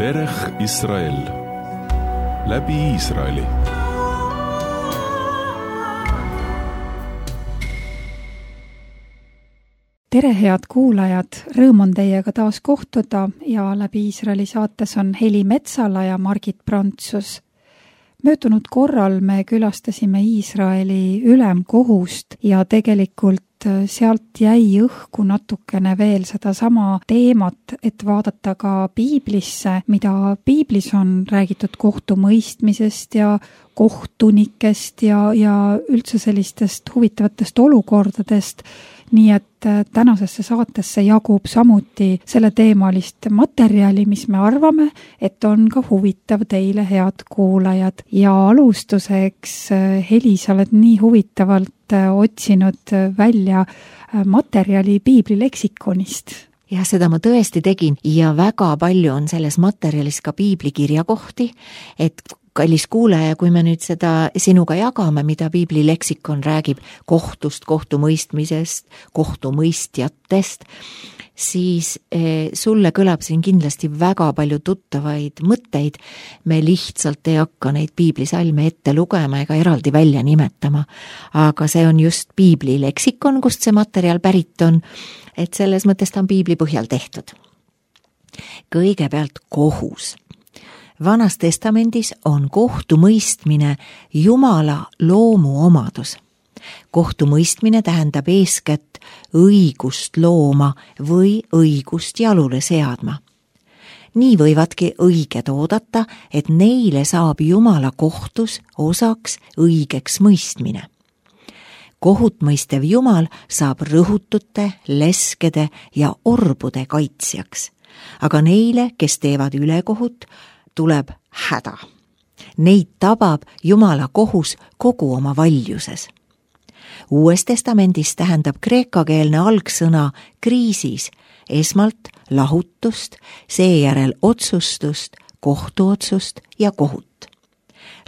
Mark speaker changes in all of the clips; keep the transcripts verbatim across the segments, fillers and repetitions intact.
Speaker 1: Derech Israel läbi Iisraeli.
Speaker 2: Tere, head kuulajad! Rõõm on teiega taas kohtuda ja läbi Iisraeli saates on Heli Metsala ja Margit Prantsus. Möödunud korral me külastasime Iisraeli ülemkohust ja tegelikult sealt jäi õhku natukene veel seda sama teemat, et vaadata ka piiblisse, mida piiblis on räägitud kohtumõistmisest ja kohtunikest ja, ja üldse sellistest huvitavatest olukordadest. Nii et tänasesse saatesse jagub samuti selle teemalist materjali, mis me arvame, et on ka huvitav teile, head kuulajad. Ja alustuseks, Heli, sa oled nii huvitavalt otsinud välja materjali piibli leksikonist.
Speaker 3: Ja seda ma tõesti tegin ja väga palju on selles materjalis ka piibli kirjakohti, et kallis kuulaja, kui me nüüd seda sinuga jagame, mida piibli leksikon räägib kohtust, kohtumõistmisest, kohtumõistjatest, siis sulle kõlab siin kindlasti väga palju tuttavaid mõtteid. Me lihtsalt ei hakka neid piiblisalme ette lugema ega eraldi välja nimetama, aga see on just piibli leksikon, kust see materjal pärit on, et selles mõttes ta on piibli põhjal tehtud. Kõigepealt kohus. Vanas testamendis on kohtumõistmine Jumala loomu omadus. Kohtumõistmine tähendab eeskätt õigust looma või õigust jalule seadma. Nii võivadki õiged oodata, et neile saab Jumala kohtus osaks õigeks mõistmine. Kohut mõistev Jumal saab rõhutute, leskede ja orbude kaitsjaks, aga neile, kes teevad ülekohut, tuleb häda. Neid tabab Jumala kohus kogu oma valjuses. Uues testamendis tähendab kreekakeelne algsõna kriisis esmalt lahutust, seejärel otsustust, kohtuotsust ja kohut.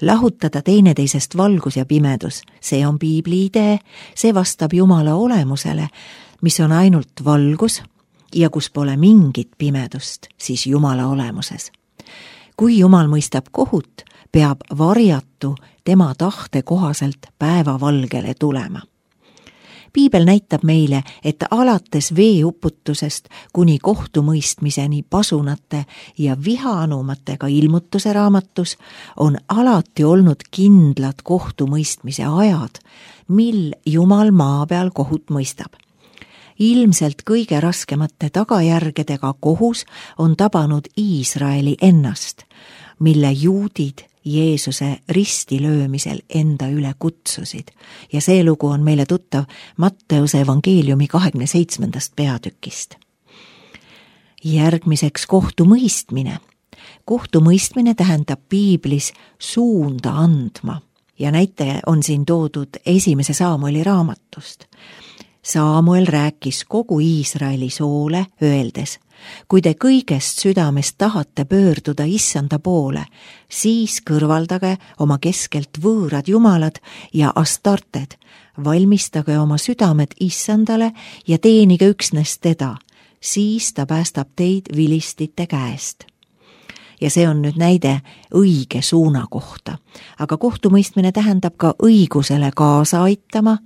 Speaker 3: Lahutada teineteisest valgus ja pimedus, see on piibli idee, see vastab Jumala olemusele, mis on ainult valgus ja kus pole mingit pimedust, siis Jumala olemuses. Kui Jumal mõistab kohut, peab varjatu tema tahte kohaselt päevavalgele tulema. Piibel näitab meile, et alates veeuputusest kuni kohtumõistmiseni pasunate ja vihaanumatega ilmutuse raamatus on alati olnud kindlad kohtumõistmise ajad, mil Jumal maa peal kohut mõistab. Ilmselt kõige raskemate tagajärgedega kohus on tabanud Iisraeli ennast, mille juudid Jeesuse ristilöömisel enda üle kutsusid. Ja see lugu on meile tuttav Matteuse evangeeliumi kahekümne seitsmendast peatükist. Järgmiseks kohtumõistmine. Kohtumõistmine tähendab piiblis suunda andma ja näite on siin toodud esimese Saamueli raamatust. Saamuel rääkis kogu Iisraeli soole, öeldes, kui te kõigest südamest tahate pöörduda issanda poole, siis kõrvaldage oma keskelt võõrad jumalad ja astarted, valmistage oma südamed issandale ja teenige üksnes teda, siis ta päästab teid vilistite käest. Ja see on nüüd näide õige suuna kohta, aga kohtumõistmine tähendab ka õigusele kaasa aitama,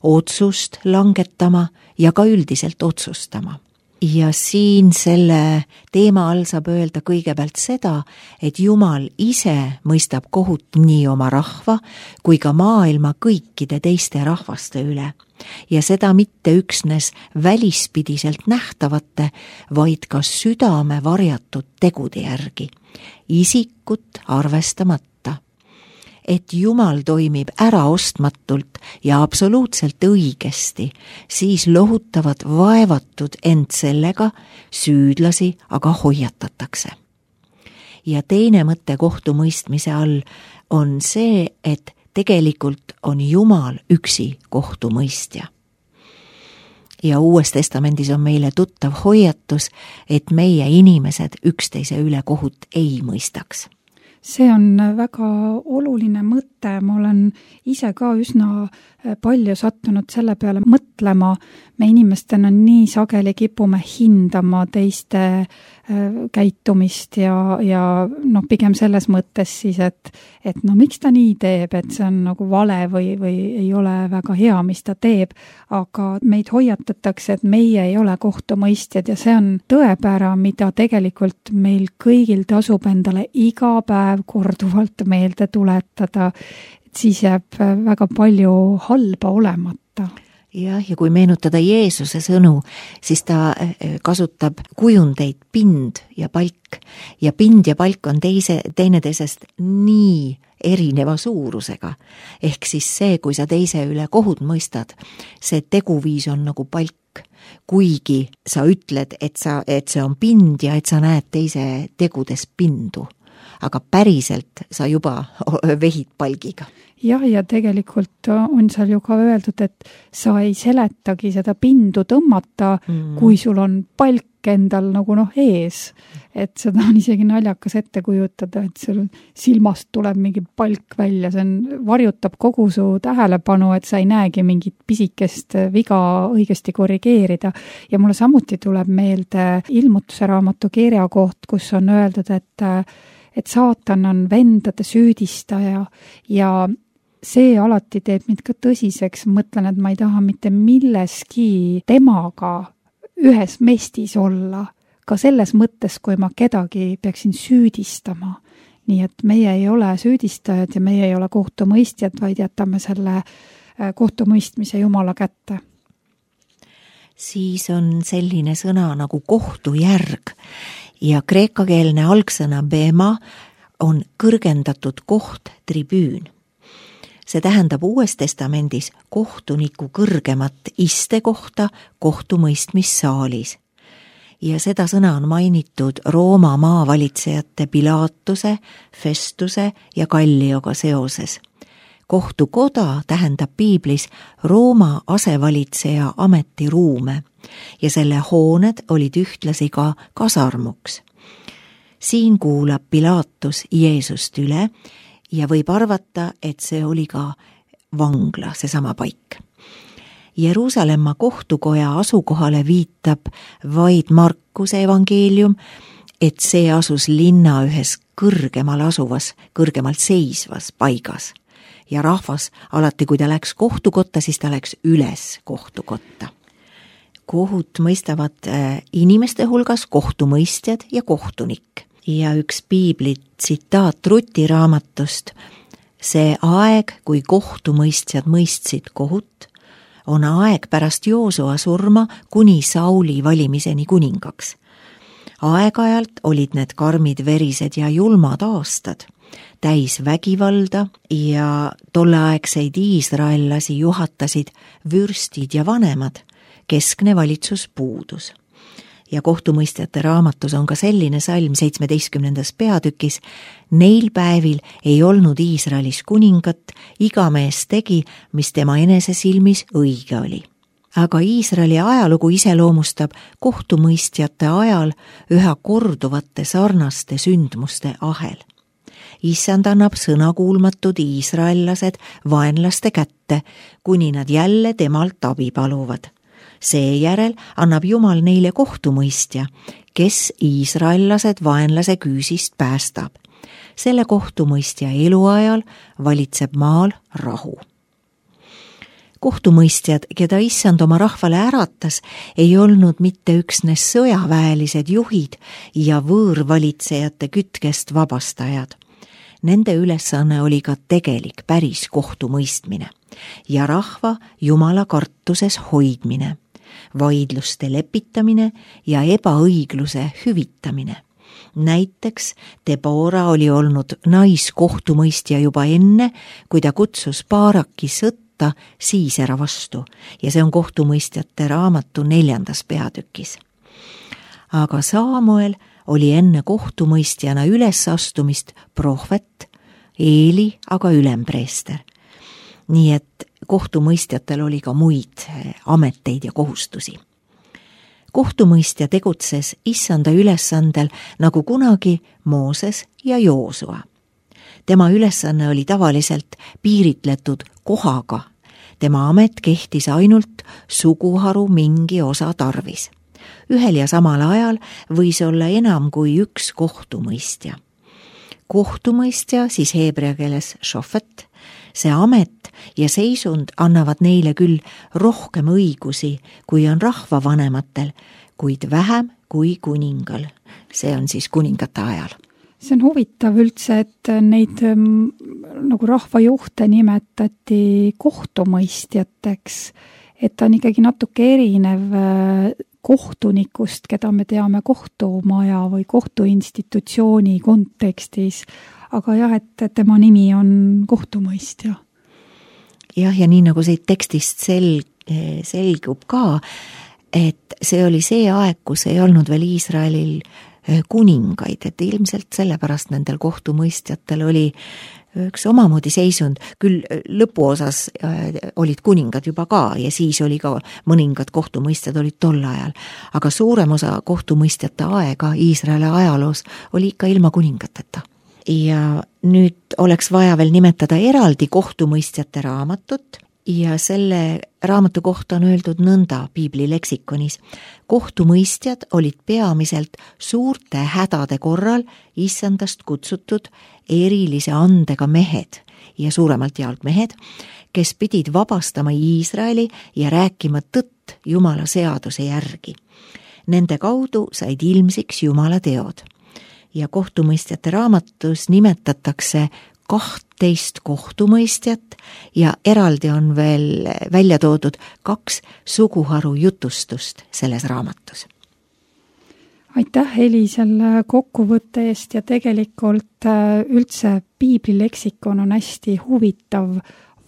Speaker 3: otsust langetama ja ka üldiselt otsustama. Ja siin selle teema all saab öelda kõigepealt seda, et Jumal ise mõistab kohut nii oma rahva kui ka maailma kõikide teiste rahvaste üle. Ja seda mitte üksnes välispidiselt nähtavate, vaid ka südame varjatud tegude järgi, isikut arvestamata. Et Jumal toimib äraostmatult ja absoluutselt õigesti, siis lohutavad vaevatud end sellega, süüdlasi aga hoiatatakse. Ja teine mõte kohtumõistmise all on see, et tegelikult on Jumal üksi kohtumõistja. Ja Uues testamendis on meile tuttav hoiatus, et meie inimesed üksteise üle kohut ei mõistaks.
Speaker 2: See on väga oluline mõte, ma olen ise ka üsna palju sattunud selle peale mõtlema. Me inimestena nii sageli kipume hindama teiste käitumist ja, ja noh, pigem selles mõttes siis, et, et no miks ta nii teeb, et see on nagu vale või, või ei ole väga hea, mis ta teeb, aga meid hoiatatakse, et meie ei ole kohtumõistjad ja see on tõepära, mida tegelikult meil kõigil tasub endale iga päev korduvalt meelde tuletada, et siis jääb väga palju halba olemata.
Speaker 3: Jah, ja kui meenutada Jeesuse sõnu, siis ta kasutab kujundeid pind ja palk. Ja pind ja palk on teise, teineteisest nii erineva suurusega. Ehk siis see, kui sa teise üle kohut mõistad, see teguviis on nagu palk. Kuigi sa ütled, et, sa, et see on pind ja et sa näed teise tegudes pindu. Aga päriselt sa juba vehid palgiga.
Speaker 2: Jah, ja tegelikult on seal ju ka öeldud, et sa ei seletagi seda pindu tõmmata, mm. kui sul on palk endal nagu noh ees. Et seda on isegi naljakas ette kujutada, et sul silmast tuleb mingi palk välja, see on, varjutab kogu su tähelepanu, et sa ei näegi mingit pisikest viga õigesti korrigeerida. Ja mulle samuti tuleb meelde ilmutuse raamatu kirjakoht, kus on öeldud, et, et saatan on vendade süüdistaja ja see alati teeb mind ka tõsiseks, mõtlen, et ma ei taha mitte milleski temaga ühes mestis olla, ka selles mõttes, kui ma kedagi peaksin süüdistama. Nii et meie ei ole süüdistajad ja meie ei ole kohtumõistjad, vaid jätame selle kohtumõistmise Jumala kätte.
Speaker 3: Siis on selline sõna nagu kohtujärg ja kreekakeelne algsõna bema on kõrgendatud koht, tribüün. See tähendab Uues Testamendis kohtuniku kõrgemat istekohta kohtumõistmissaalis. Ja seda sõna on mainitud Rooma maavalitsejate Pilatuse, Festuse ja Gallioga seoses. Kohtukoda tähendab piiblis Rooma asevalitseja ametiruume ja selle hooned olid ühtlasi ka kasarmuks. Siin kuulab Pilatus Jeesust üle ja võib arvata, et see oli ka vangla, seesama paik. Jeruusalemma kohtukoja asukohale viitab vaid Markuse evangeelium, et see asus linna ühes kõrgemal asuvas, kõrgemalt seisvas paigas. Ja rahvas alati, kui ta läks kohtukotta, siis ta läks üles kohtukotta. Kohut mõistavad inimeste hulgas kohtumõistjad ja kohtunik. Ja üks piibli tsitaat Ruti raamatust, see aeg, kui kohtumõistjad mõistsid kohut, on aeg pärast Joosua surma kuni Sauli valimiseni kuningaks. Aeg-ajalt olid need karmid verised ja julmad aastad, täis vägivalda ja tolleaegseid iisraellasi juhatasid vürstid ja vanemad, keskne valitsus puudus. Ja kohtumõistjate raamatus on ka selline salm seitsmeteistkümnendas peatükis, neil päevil ei olnud Iisraelis kuningat, iga mees tegi, mis tema enese silmis õige oli. Aga Iisraeli ajalugu iseloomustab kohtumõistjate ajal üha korduvate sarnaste sündmuste ahel. Issand annab sõnakuulmatud iisraellased vaenlaste kätte, kuni nad jälle temalt abi paluvad. Seejärel annab Jumal neile kohtumõistja, kes iisraellased vaenlase küüsist päästab. Selle kohtumõistja eluajal valitseb maal rahu. Kohtumõistjad, keda Issand oma rahvale äratas, ei olnud mitte üksnes sõjaväelised juhid ja võõrvalitsejate kütkest vabastajad. Nende ülesanne oli ka tegelik päris kohtumõistmine ja rahva Jumala kartuses hoidmine, vaidluste lepitamine ja ebaõigluse hüvitamine. Näiteks Debora oli olnud naiskohtumõistja juba enne, kui ta kutsus Baaraki sõtta Siisera vastu ja see on kohtumõistjate raamatu neljandas peatükis. Aga Saamuel oli enne kohtumõistjana ülesastumist prohvet, Eeli aga ülempreester. Nii et kohtumõistjatel oli ka muid ameteid ja kohustusi. Kohtumõistja tegutses Issanda ülesandel nagu kunagi Mooses ja Joosua. Tema ülesanne oli tavaliselt piiritletud kohaga. Tema amet kehtis ainult suguharu mingi osa tarvis. ühel ja samal ajal võis olla enam kui üks kohtumõistja. Kohtumõistja, siis heebrea keeles šofet, see amet ja seisund annavad neile küll rohkem õigusi, kui on rahvavanematel, kuid vähem kui kuningal. See on siis kuningate ajal.
Speaker 2: See on huvitav üldse, et neid nagu rahvajuhte nimetati kohtumõistjateks, et ta on ikkagi natuke erinev kohtunikust, keda me teame kohtumaja või kohtuinstitutsiooni kontekstis, aga jah, et tema nimi on kohtumõistja.
Speaker 3: Jah, ja nii nagu siit tekstist sel, selgub ka, et see oli see aeg, kus ei olnud veel Iisraelil kuningaid, et ilmselt sellepärast nendel kohtumõistjatel oli üks omamoodi seisund, küll lõpuosas olid kuningad juba ka ja siis oli ka mõningad kohtumõistjad olid tol ajal, aga suurem osa kohtumõistjate aega Iisraeli ajaloos oli ikka ilma kuningateta. Ja nüüd oleks vaja veel nimetada eraldi kohtumõistjate raamatut ja selle raamatu kohta on öeldud nõnda piibli leksikonis. Kohtumõistjad olid peamiselt suurte hädade korral issandast kutsutud erilise andega mehed ja suuremalt jaolt mehed, kes pidid vabastama Iisraeli ja rääkima tõtt Jumala seaduse järgi. Nende kaudu said ilmsiks Jumala teod. Ja kohtumõistjate raamatus nimetatakse kahtteist kohtumõistjat ja eraldi on veel välja toodud kaks suguharu jutustust selles raamatus.
Speaker 2: Aitäh, Heli, selle kokkuvõtte eest ja tegelikult üldse piibli leksikon on hästi huvitav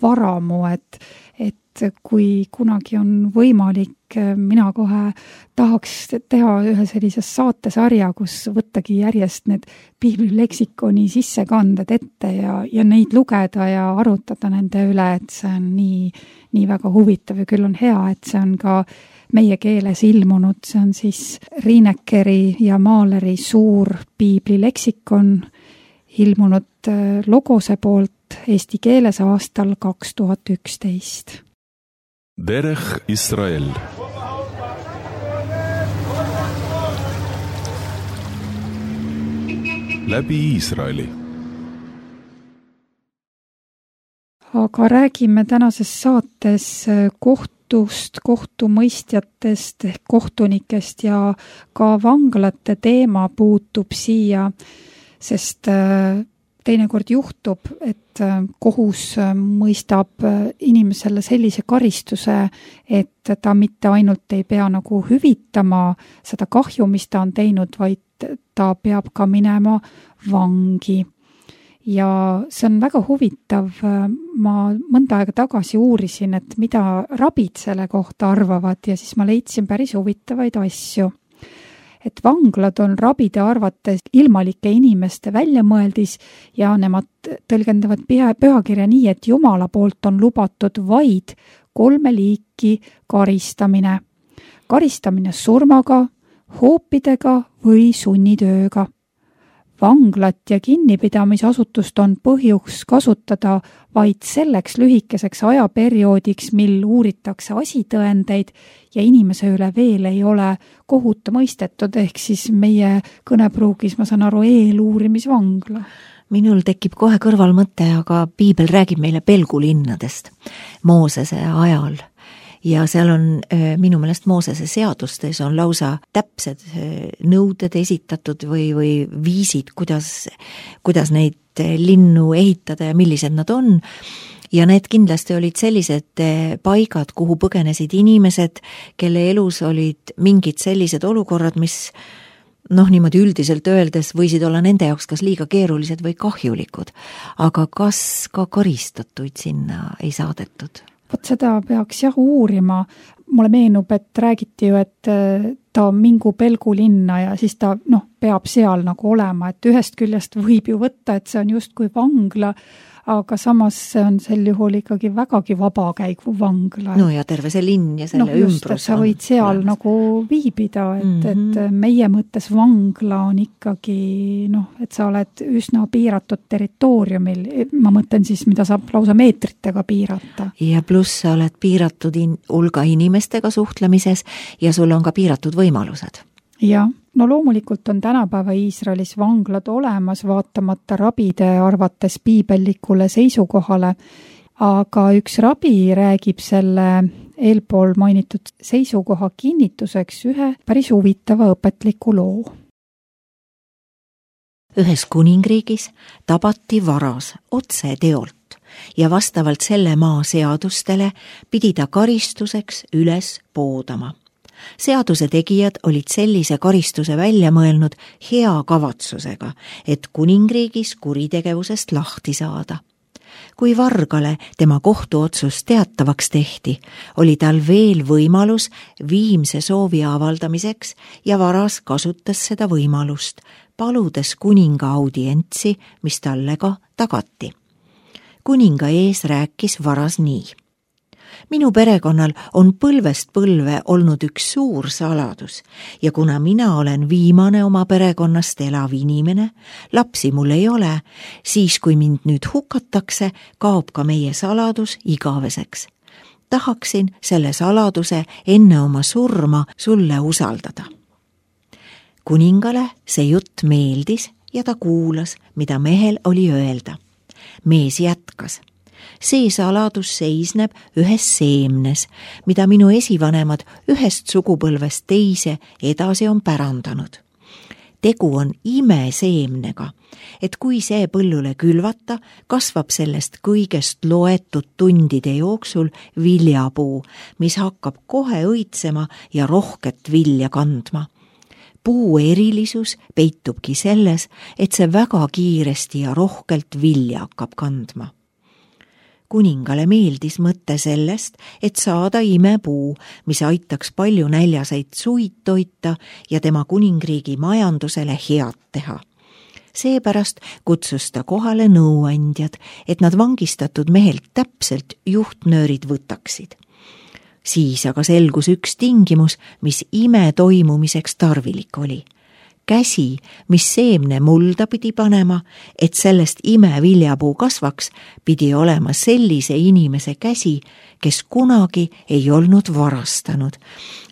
Speaker 2: varamu, et, et kui kunagi on võimalik, mina kohe tahaks teha ühe sellise saatesarja, kus võttagi järjest need piibli leksikoni sissekanded ette ja, ja neid lugeda ja arutada nende üle, et see on nii, nii väga huvitav ja küll on hea, et see on ka meie keeles ilmunud, see on siis Riinekeri ja Maaleri suur piibli leksikon ilmunud Logose poolt eesti keeles aastal kaks tuhat üksteist.
Speaker 1: Derech Israel. Läbi Iisraeli.
Speaker 2: Aga räägime tänases saates kohtust, kohtumõistjatest ehk kohtunikest ja ka vanglate teema puutub siia, sest teinekord juhtub, et kohus mõistab inimesele sellise karistuse, et ta mitte ainult ei pea nagu hüvitama seda kahju, mis ta on teinud, vaid ta peab ka minema vangi. Ja see on väga huvitav. Ma mõnda aega tagasi uurisin, et mida rabid selle kohta arvavad ja siis ma leidsin päris huvitavaid asju. Et vanglad on rabide arvates ilmalike inimeste väljamõeldis ja nemad tõlgendavad pühakirja nii, et Jumala poolt on lubatud vaid kolme liiki karistamine. Karistamine surmaga, hoopidega või sunnitööga. Vanglat ja kinnipidamisasutust on põhjus kasutada vaid selleks lühikeseks ajaperioodiks, mil uuritakse asitõendeid ja inimese üle veel ei ole kohut mõistetud, ehk siis meie kõnepruugis, ma saan aru, eeluurimisvangla.
Speaker 3: Minul tekib kohe kõrval mõte, aga piibel räägib meile pelgulinnadest Moosese ajal. Ja seal on minu meelest Moosese seadustes on lausa täpsed nõuded esitatud või, või viisid, kuidas, kuidas neid linnu ehitada ja millised nad on. Ja need kindlasti olid sellised paigad, kuhu põgenesid inimesed, kelle elus olid mingid sellised olukorrad, mis noh, niimoodi üldiselt öeldes võisid olla nende jaoks kas liiga keerulised või kahjulikud. Aga kas ka karistatuid sinna ei saadetud?
Speaker 2: Vot seda peaks jah uurima. Mulle meenub, et räägiti ju, et ta mingu pelgulinna ja siis ta noh, peab seal nagu olema, et ühest küljest võib ju võtta, et see on justkui vangla, aga samas see on sel juhul ikkagi vägagi vabakäigu vangla.
Speaker 3: No ja terve see linn ja selle
Speaker 2: no, just,
Speaker 3: ümbrus.
Speaker 2: Sa võid seal olemas. Nagu viibida, et, mm-hmm. et meie mõttes vangla on ikkagi, noh, et sa oled üsna piiratud territooriumil, ma mõtlen siis, mida saab lausa meetritega piirata.
Speaker 3: Ja pluss sa oled piiratud in- hulga inimestega suhtlemises ja sul on ka piiratud võimalused.
Speaker 2: Jah, no loomulikult on tänapäeva Iisraelis vanglad olemas, vaatamata rabide arvates piibellikule seisukohale, aga üks rabi räägib selle eelpool mainitud seisukoha kinnituseks ühe päris huvitava õpetliku loo.
Speaker 3: Ühes kuningriigis tabati varas otse teolt ja vastavalt selle maa seadustele pidi ta karistuseks üles poodama. Seaduse tegijad olid sellise karistuse välja mõelnud hea kavatsusega, et kuningriigis kuritegevusest lahti saada. Kui vargale tema kohtuotsus teatavaks tehti, oli tal veel võimalus viimse soovi avaldamiseks ja varas kasutas seda võimalust, paludes kuninga audientsi, mis talle ka tagati. Kuninga ees rääkis varas nii. Minu perekonnal on põlvest põlve olnud üks suur saladus ja kuna mina olen viimane oma perekonnast elav inimene, lapsi mul ei ole, siis kui mind nüüd hukatakse, kaob ka meie saladus igaveseks. Tahaksin selle saladuse enne oma surma sulle usaldada. Kuningale see jutt meeldis ja ta kuulas, mida mehel oli öelda. Mees jätkas. See saladus seisneb ühes seemnes, mida minu esivanemad ühest sugupõlvest teise edasi on pärandanud. Tegu on imeseemnega, et kui see põllule külvata, kasvab sellest kõigest loetud tundide jooksul viljapuu, mis hakkab kohe õitsema ja rohket vilja kandma. Puu erilisus peitubki selles, et see väga kiiresti ja rohkelt vilja hakkab kandma. Kuningale meeldis mõtte sellest, et saada imepuu, mis aitaks palju näljaseid suid toita ja tema kuningriigi majandusele head teha. Seepärast kutsus ta kohale nõuandjad, et nad vangistatud mehelt täpselt juhtnöörid võtaksid. Siis aga selgus üks tingimus, mis ime toimumiseks tarvilik oli. Käsi, mis seemne mulda pidi panema, et sellest ime viljapuu kasvaks, pidi olema sellise inimese käsi, kes kunagi ei olnud varastanud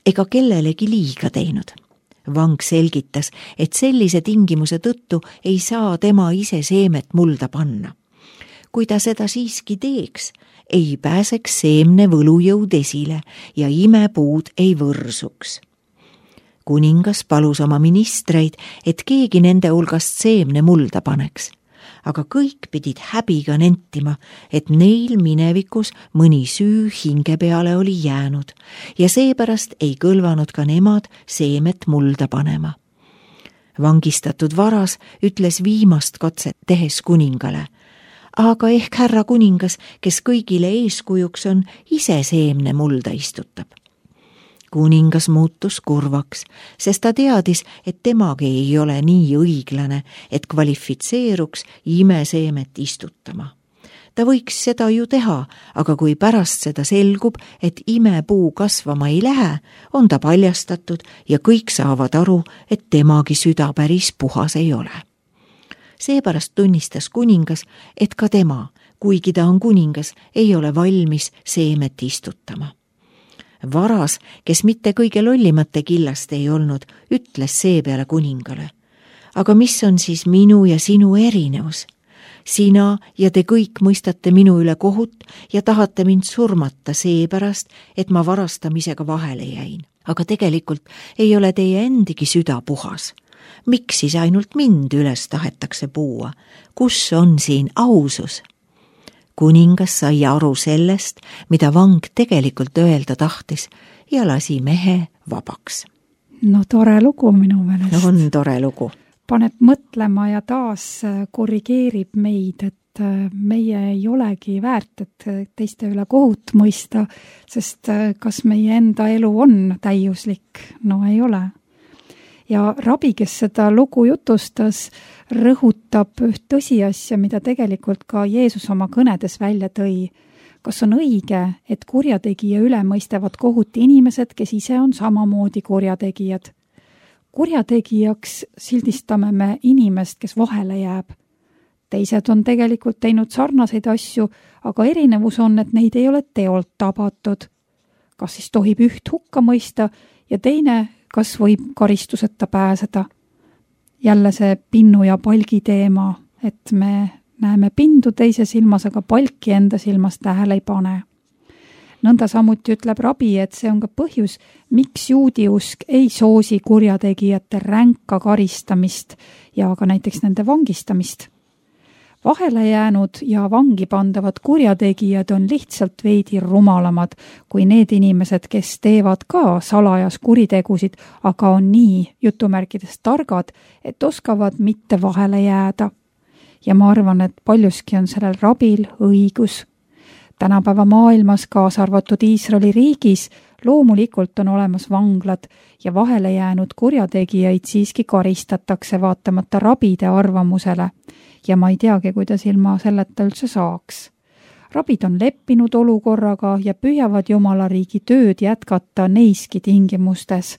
Speaker 3: ega kellelegi liiga teinud. Vang selgitas, et sellise tingimuse tõttu ei saa tema ise seemet mulda panna. Kui ta seda siiski teeks, ei pääseks seemne võlujõud esile ja imepuud ei võrsuks. Kuningas palus oma ministreid, et keegi nende hulgast seemne mulda paneks, aga kõik pidid häbiga nentima, et neil minevikus mõni süü hinge peale oli jäänud ja seepärast ei kõlvanud ka nemad seemet mulda panema. Vangistatud varas ütles viimast katset tehes kuningale, aga ehk härra kuningas, kes kõigile eeskujuks on, ise seemne mulda istutab. Kuningas muutus kurvaks, sest ta teadis, et temagi ei ole nii õiglane, et kvalifitseeruks imeseemet istutama. Ta võiks seda ju teha, aga kui pärast seda selgub, et imepuu kasvama ei lähe, on ta paljastatud ja kõik saavad aru, et temagi süda päris puhas ei ole. Seepärast tunnistas kuningas, et ka tema, kuigi ta on kuningas, ei ole valmis seemet istutama. Varas, kes mitte kõige lollimate killast ei olnud, ütles seepeale kuningale. Aga mis on siis minu ja sinu erinevus? Sina ja te kõik mõistate minu üle kohut ja tahate mind surmata seepärast, et ma varastamisega vahele jäin. Aga tegelikult ei ole teie endigi süda puhas. Miks siis ainult mind üles tahetakse puua? Kus on siin ausus? Kuningas sai aru sellest, mida vang tegelikult öelda tahtis ja lasi mehe vabaks.
Speaker 2: No tore lugu minu meelest.
Speaker 3: No on tore lugu.
Speaker 2: Paneb mõtlema ja taas korrigeerib meid, et meie ei olegi väärt, et teiste üle kohut mõista, sest kas meie enda elu on täiuslik? No ei ole. Ja rabi, kes seda lugu jutustas, rõhutas puudutab üht tõsiasja, mida tegelikult ka Jeesus oma kõnedes välja tõi. Kas on õige, et kurjategija üle mõistavad kohut inimesed, kes ise on samamoodi kurjategijad? Kurjategijaks sildistame me inimest, kes vahele jääb. Teised on tegelikult teinud sarnaseid asju, aga erinevus on, et neid ei ole teolt tabatud. Kas siis tohib üht hukka mõista ja teine, kas võib karistuseta pääseda? Jälle see pinnu ja palgi teema, et me näeme pindu teise silmas, aga palki enda silmas tähele ei pane. Nõnda samuti ütleb rabi, et see on ka põhjus, miks juudi usk ei soosi kurjategijate ränka karistamist ja ka näiteks nende vangistamist. Vahele jäänud ja vangi pandavad kurjategijad on lihtsalt veidi rumalamad kui need inimesed, kes teevad ka salajas kuritegusid, aga on nii jutumärkides targad, et oskavad mitte vahele jääda. Ja ma arvan, et paljuski on sellel rabil õigus. Tänapäeva maailmas, kaasa arvatud Iisraeli riigis, loomulikult on olemas vanglad ja vahele jäänud kurjategijaid siiski karistatakse vaatamata rabide arvamusele. Ja ma ei teagi, kuidas ilma selleta üldse saaks. Rabid on leppinud olukorraga ja püüavad Jumala riigi tööd jätkata neiski tingimustes.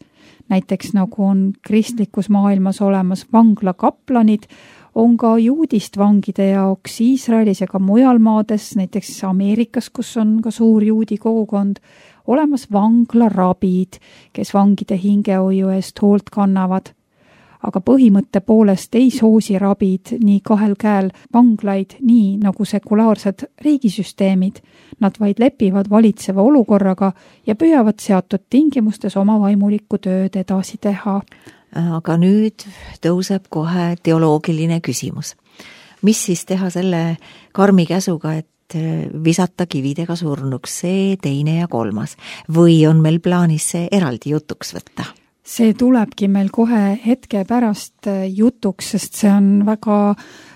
Speaker 2: Näiteks nagu on kristlikus maailmas olemas vanglakaplanid, on ka juudist vangide jaoks Iisraelis ja ka mujal maades, näiteks Ameerikas, kus on ka suur juudi kogukond, olemas vanglarabid, kes vangide hingehoiu eest hoolt kannavad. Aga põhimõtte poolest ei soosi rabid nii kahel käel vanglaid nii nagu sekulaarsed riigisüsteemid. Nad vaid lepivad valitseva olukorraga ja püüavad seatud tingimustes oma vaimulikku tööd edasi teha.
Speaker 3: Aga nüüd tõuseb kohe teoloogiline küsimus. Mis siis teha selle karmi käsuga, et visata kividega surnuks see teine ja kolmas? Või on meil plaanis see eraldi jutuks võtta?
Speaker 2: See tulebki meil kohe hetke pärast jutuks, sest see on väga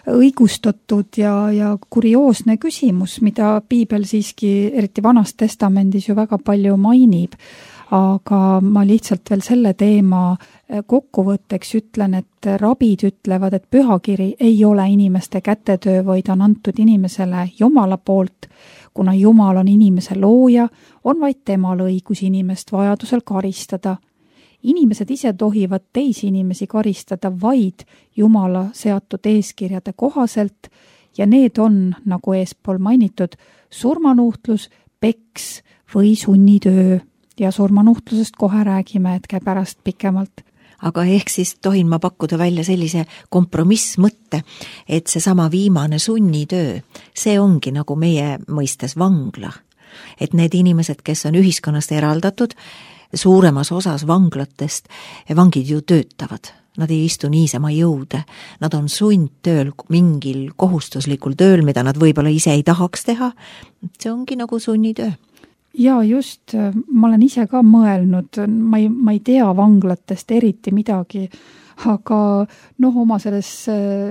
Speaker 2: õigustatud ja, ja kurioosne küsimus, mida piibel siiski, eriti Vanas Testamendis ju väga palju mainib. Aga ma lihtsalt veel selle teema kokkuvõtteks ütlen, et rabid ütlevad, et pühakiri ei ole inimeste kätetöö, vaid on antud inimesele Jumala poolt. Kuna Jumal on inimese looja, on vaid temal õigus inimest vajadusel karistada. Inimesed ise tohivad teisi inimesi karistada vaid Jumala seatud eeskirjade kohaselt ja need on, nagu eespool mainitud, surmanuhtlus, peks või sunnitöö. Ja surmanuhtlusest kohe räägime hetke pärast pikemalt.
Speaker 3: Aga ehk siis tohin ma pakkuda välja sellise kompromissmõtte, et see sama viimane sunnitöö, see ongi nagu meie mõistes vangla. Et need inimesed, kes on ühiskonnast eraldatud, suuremas osas vanglatest vangid ju töötavad. Nad ei istu niisama jõude. Nad on sundtööl mingil kohustuslikul tööl, mida nad võib-olla ise ei tahaks teha. See ongi nagu sunnitöö.
Speaker 2: Ja just, ma olen ise ka mõelnud, ma ei, ma ei tea vanglatest eriti midagi, aga noh, oma selles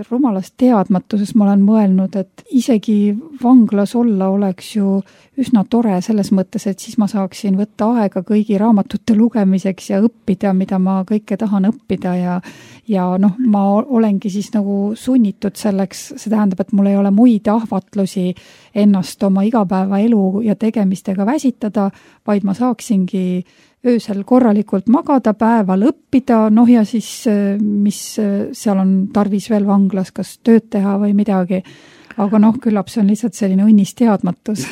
Speaker 2: rumalas teadmatuses ma olen mõelnud, et isegi vanglas olla oleks ju üsna tore selles mõttes, et siis ma saaksin võtta aega kõigi raamatute lugemiseks ja õppida, mida ma kõike tahan õppida ja, ja noh, ma olengi siis nagu sunnitud selleks, see tähendab, et mul ei ole muid ahvatlusi ennast oma igapäevaelu ja tegemistega väsitada, vaid ma saaksingi öösel korralikult magada, päeval õppida, noh ja siis mis seal on tarvis veel vanglas, kas tööd teha või midagi. Aga noh, küllap see on lihtsalt selline õnnis teadmatus.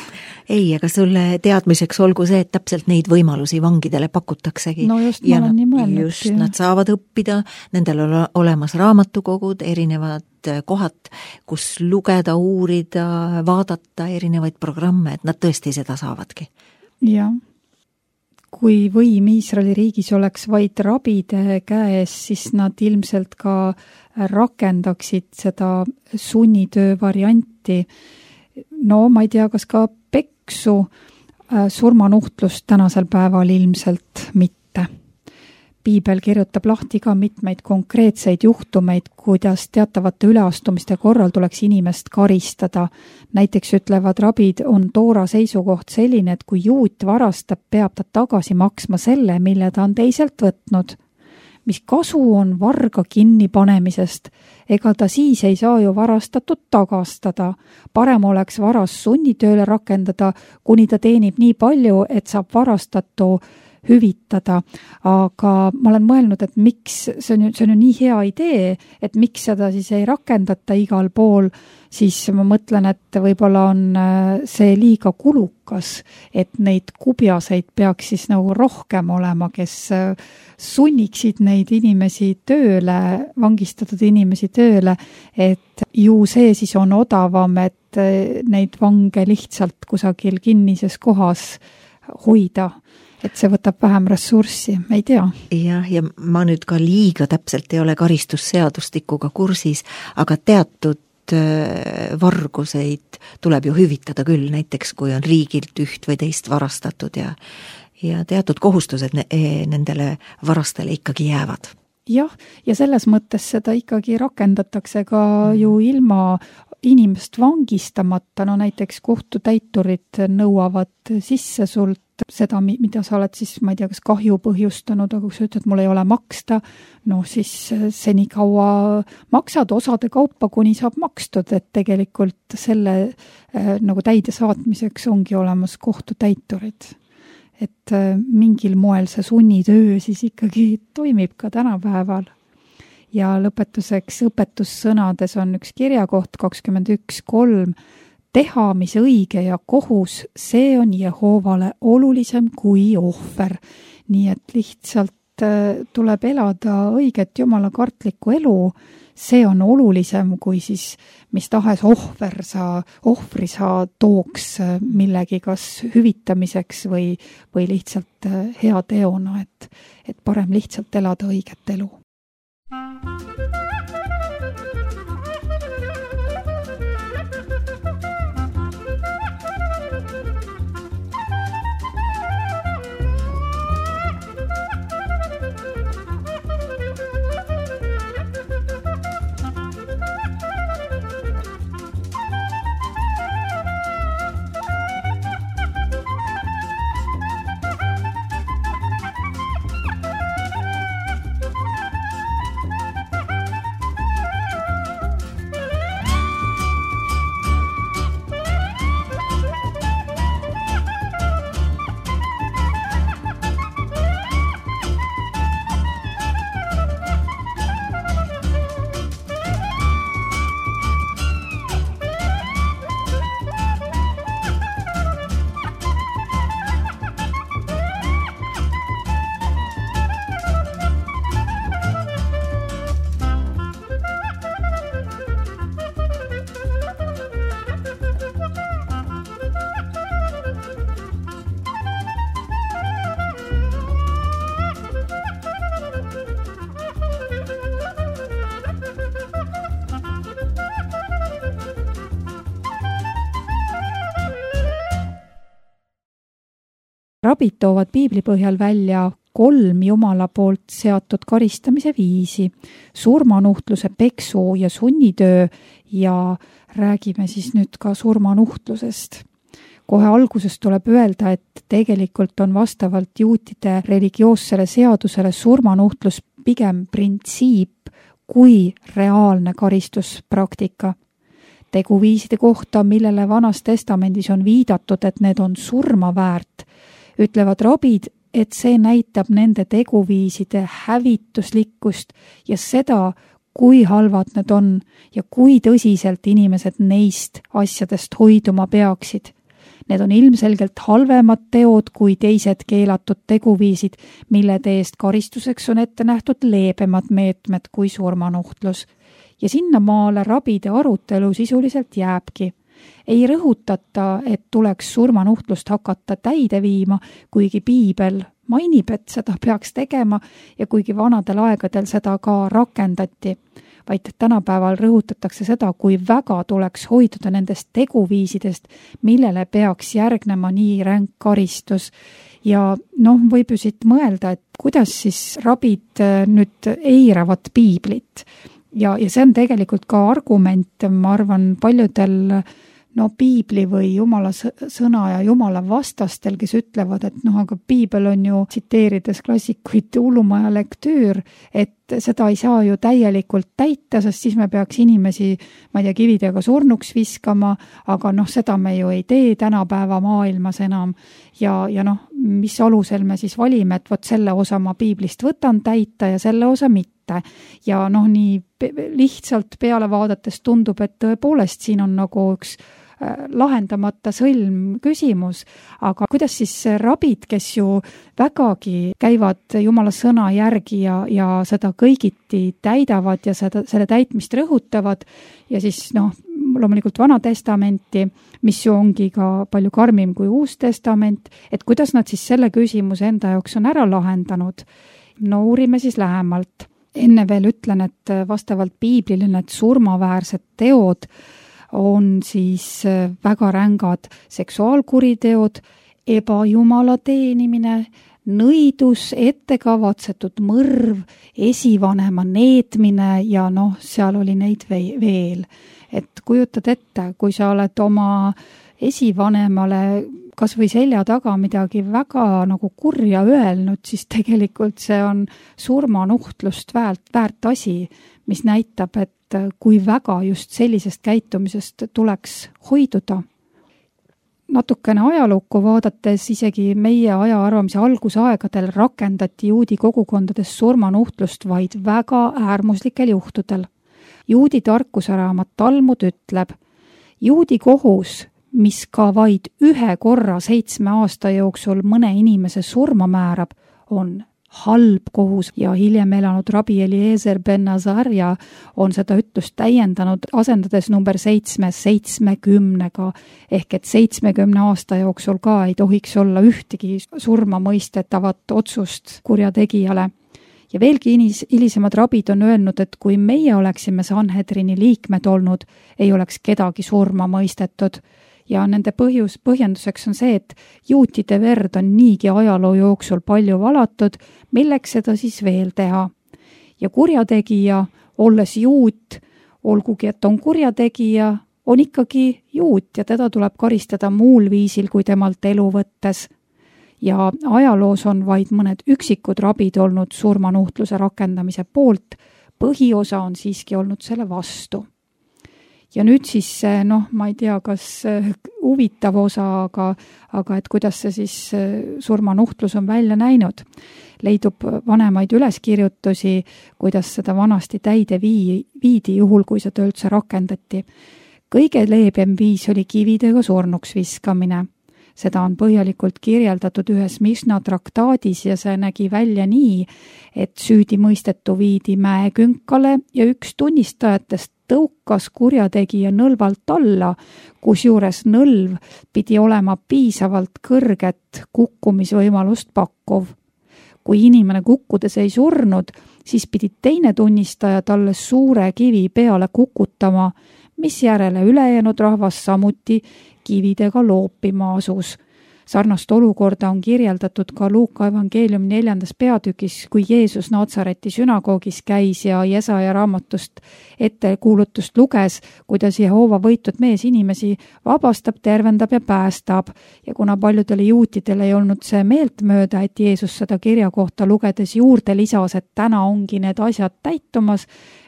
Speaker 3: Ei, aga sulle teadmiseks olgu see, et täpselt neid võimalusi vangidele pakutaksegi.
Speaker 2: No just, ma olen nii mõelnud.
Speaker 3: Just, nad saavad õppida, nendel on olemas raamatukogud, erinevad kohad, kus lugeda, uurida, vaadata erinevaid programme, et nad tõesti seda saavadki.
Speaker 2: Jah. Kui võim Iisraeli riigis oleks vaid rabide käes, siis nad ilmselt ka rakendaksid seda sunnitöö varianti. No ma ei tea, kas ka peksu surmanuhtlust tänasel päeval ilmselt mitte. Piibel kirjutab lahti ka mitmeid konkreetseid juhtumeid, kuidas teatavate üleastumiste korral tuleks inimest karistada. Näiteks ütlevad rabid, on toora seisukoht selline, et kui juut varastab, peab ta tagasi maksma selle, mille ta on teiselt võtnud. mis kasu on varga kinnipanemisest? Ega ta siis ei saa ju varastatud tagastada. Parem oleks varas sunnitööle rakendada, kuni ta teenib nii palju, et saab varastatu hüvitada. Aga ma olen mõelnud, et miks, see on ju, see on ju nii hea idee, et miks seda siis ei rakendata igal pool, siis ma mõtlen, et võib-olla on see liiga kulukas, et neid kubjaseid peaks siis nagu rohkem olema, kes sunniksid neid inimesi tööle, vangistatud inimesi tööle, et ju see siis on odavam, et neid vange lihtsalt kusagil kinnises kohas hoida. Et see võtab vähem ressurssi, ei tea.
Speaker 3: Jah, ja ma nüüd ka liiga täpselt ei ole karistusseadustikuga kursis, aga teatud varguseid tuleb ju hüvitada küll, näiteks kui on riigilt üht või teist varastatud ja, ja teatud kohustused nendele varastele ikkagi jäävad.
Speaker 2: Jah, ja selles mõttes seda ikkagi rakendatakse ka ju ilma inimest vangistamata, no näiteks kohtutäiturid nõuavad sisse sult seda, mida sa oled siis, ma ei tea, kas kahju põhjustanud, aga kui sa ütled, mul ei ole maksta, no siis seni kaua maksad osade kaupa, kuni saab makstud, et tegelikult selle äh, nagu täide saatmiseks ongi olemas kohtutäiturid. Et äh, mingil moel see sunnitöö siis ikkagi toimib ka tänapäeval. Ja lõpetuseks õpetussõnades on üks kirjakoht kakskümmend üks kolm. Teha, mis õige ja kohus, see on Jehoovale olulisem kui ohver. Nii et lihtsalt tuleb elada õiget jumala kartlikku elu, see on olulisem kui siis mis tahes ohver sa, ohvri sa tooks millegi kas hüvitamiseks või, või lihtsalt hea teona, et, et parem lihtsalt elada õiget elu. Rabid toovad piibli põhjal välja kolm Jumala poolt seatud karistamise viisi, surmanuhtluse, peksu ja sunnitöö ja räägime siis nüüd ka surmanuhtlusest. Kohe alguses tuleb öelda, et tegelikult on vastavalt juutide religioossele seadusele surmanuhtlus pigem printsiip kui reaalne karistuspraktika. Teguviiside kohta, millele Vanas Testamendis on viidatud, et need on surma väärt, ütlevad rabid, et see näitab nende teguviiside hävituslikkust ja seda, kui halvad need on ja kui tõsiselt inimesed neist asjadest hoiduma peaksid. Need on ilmselgelt halvemad teod kui teised keelatud teguviisid, mille eest karistuseks on ette nähtud leebemad meetmed kui surmanuhtlus. Ja sinnamaale rabide arutelu sisuliselt jääbki. Ei rõhutata, et tuleks surmanuhtlust hakata täide viima, kuigi piibel mainib, et seda peaks tegema ja kuigi vanadel aegadel seda ka rakendati, vaid tänapäeval rõhutatakse seda, kui väga tuleks hoiduda nendest teguviisidest, millele peaks järgnema nii ränk karistus. Ja noh, võib ju siit mõelda, et kuidas siis rabid nüüd eiravad piiblit. Ja, ja see on tegelikult ka argument, ma arvan, paljudel no piibli või jumala sõna ja jumala vastastel, kes ütlevad, et noh, aga piibel on ju, tsiteerides klassikuid, hullumaja lektüür, et seda ei saa ju täielikult täita, sest siis me peaks inimesi, ma ei tea, kividega surnuks viskama, aga noh, seda me ju ei tee tänapäeva maailmas enam. Ja, ja noh, mis alusel me siis valime, et võt selle osa ma piiblist võtan täita ja selle osa mitte. Ja noh, nii lihtsalt peale vaadates tundub, et tõepoolest siin on nagu üks lahendamata sõlm küsimus, aga kuidas siis rabid, kes ju vägagi käivad jumala sõna järgi ja, ja seda kõigiti täidavad ja seda, selle täitmist rõhutavad ja siis noh, loomulikult Vana Testamenti, mis ju ongi ka palju karmim kui Uus Testament, et kuidas nad siis selle küsimuse enda jaoks on ära lahendanud. No uurime siis lähemalt. Enne veel ütlen, et vastavalt piiblile need surmaväärsed teod on siis väga rängad seksuaalkuriteod, ebajumala teenimine, nõidus, ettekavatsetud mõrv, esivanema neetmine ja noh, seal oli neid veel. Et kujutad ette, kui sa oled oma esivanemale kas või selja taga midagi väga nagu kurja öelnud, siis tegelikult see on surmanuhtlust väärt, väärt asi, mis näitab, et kui väga just sellisest käitumisest tuleks hoiduda. Natukene ajalukku vaadates isegi meie aja arvamise algusaegadel rakendati juudi kogukondades surmanuhtlust vaid väga äärmuslikel juhtudel. Juudi tarkusaraamat Talmud ütleb, juudi kohus, mis ka vaid ühe korra seitsme aasta jooksul mõne inimese surma määrab, on halb kohus ja hiljem elanud rabi Eliezer ben Azarja on seda ütlust täiendanud, asendades number seitsme seitsmekümnega, ehk et seitsmekümne aasta jooksul ka ei tohiks olla ühtegi surma mõistetavat otsust kurjategijale. Ja veelgi hilisemad rabid on öelnud, et kui meie oleksime Sanhedrini liikmed olnud, ei oleks kedagi surma mõistetud. Ja nende põhjus, põhjenduseks on see, et juutide verd on niigi ajaloo jooksul palju valatud, milleks seda siis veel teha. Ja kurjategija, olles juut, olgugi et on kurjategija, on ikkagi juut ja teda tuleb karistada muul viisil kui temalt elu võttes. Ja ajaloos on vaid mõned üksikud rabid olnud surmanuhtluse rakendamise poolt, põhiosa on siiski olnud selle vastu. Ja nüüd siis, noh, ma ei tea, kas huvitav osa, aga, aga et kuidas see siis surmanuhtlus on välja näinud. Leidub vanemaid üleskirjutusi, kuidas seda vanasti täide vii, viidi juhul, kui seda üldse rakendati. Kõige leebem viis oli kividega surnuks viskamine. Seda on põhjalikult kirjeldatud ühes Mišna traktaadis ja see nägi välja nii, et süüdi mõistetu viidi mäekünkale ja üks tunnistajatest tõukas kurjategija nõlvalt alla, kusjuures nõlv pidi olema piisavalt kõrget kukkumisvõimalust pakkuv. Kui inimene kukkudes ei surnud, siis pidi teine tunnistaja talle suure kivi peale kukutama, mis järele ülejäänud rahvas samuti kividega loopima asus. Sarnast olukorda on kirjeldatud ka Luuka evangeeliumi neljandas peatükis, kui Jeesus Natsareti sünagoogis käis ja Jesaja raamatust ettekuulutust luges, kuidas Jehoova võitud mees inimesi vabastab, tervendab ja päästab. Ja kuna paljudele juutidele ei olnud see meeltmööda, et Jeesus seda kirja kohta lugedes juurde lisas, et täna ongi need asjad täitumas,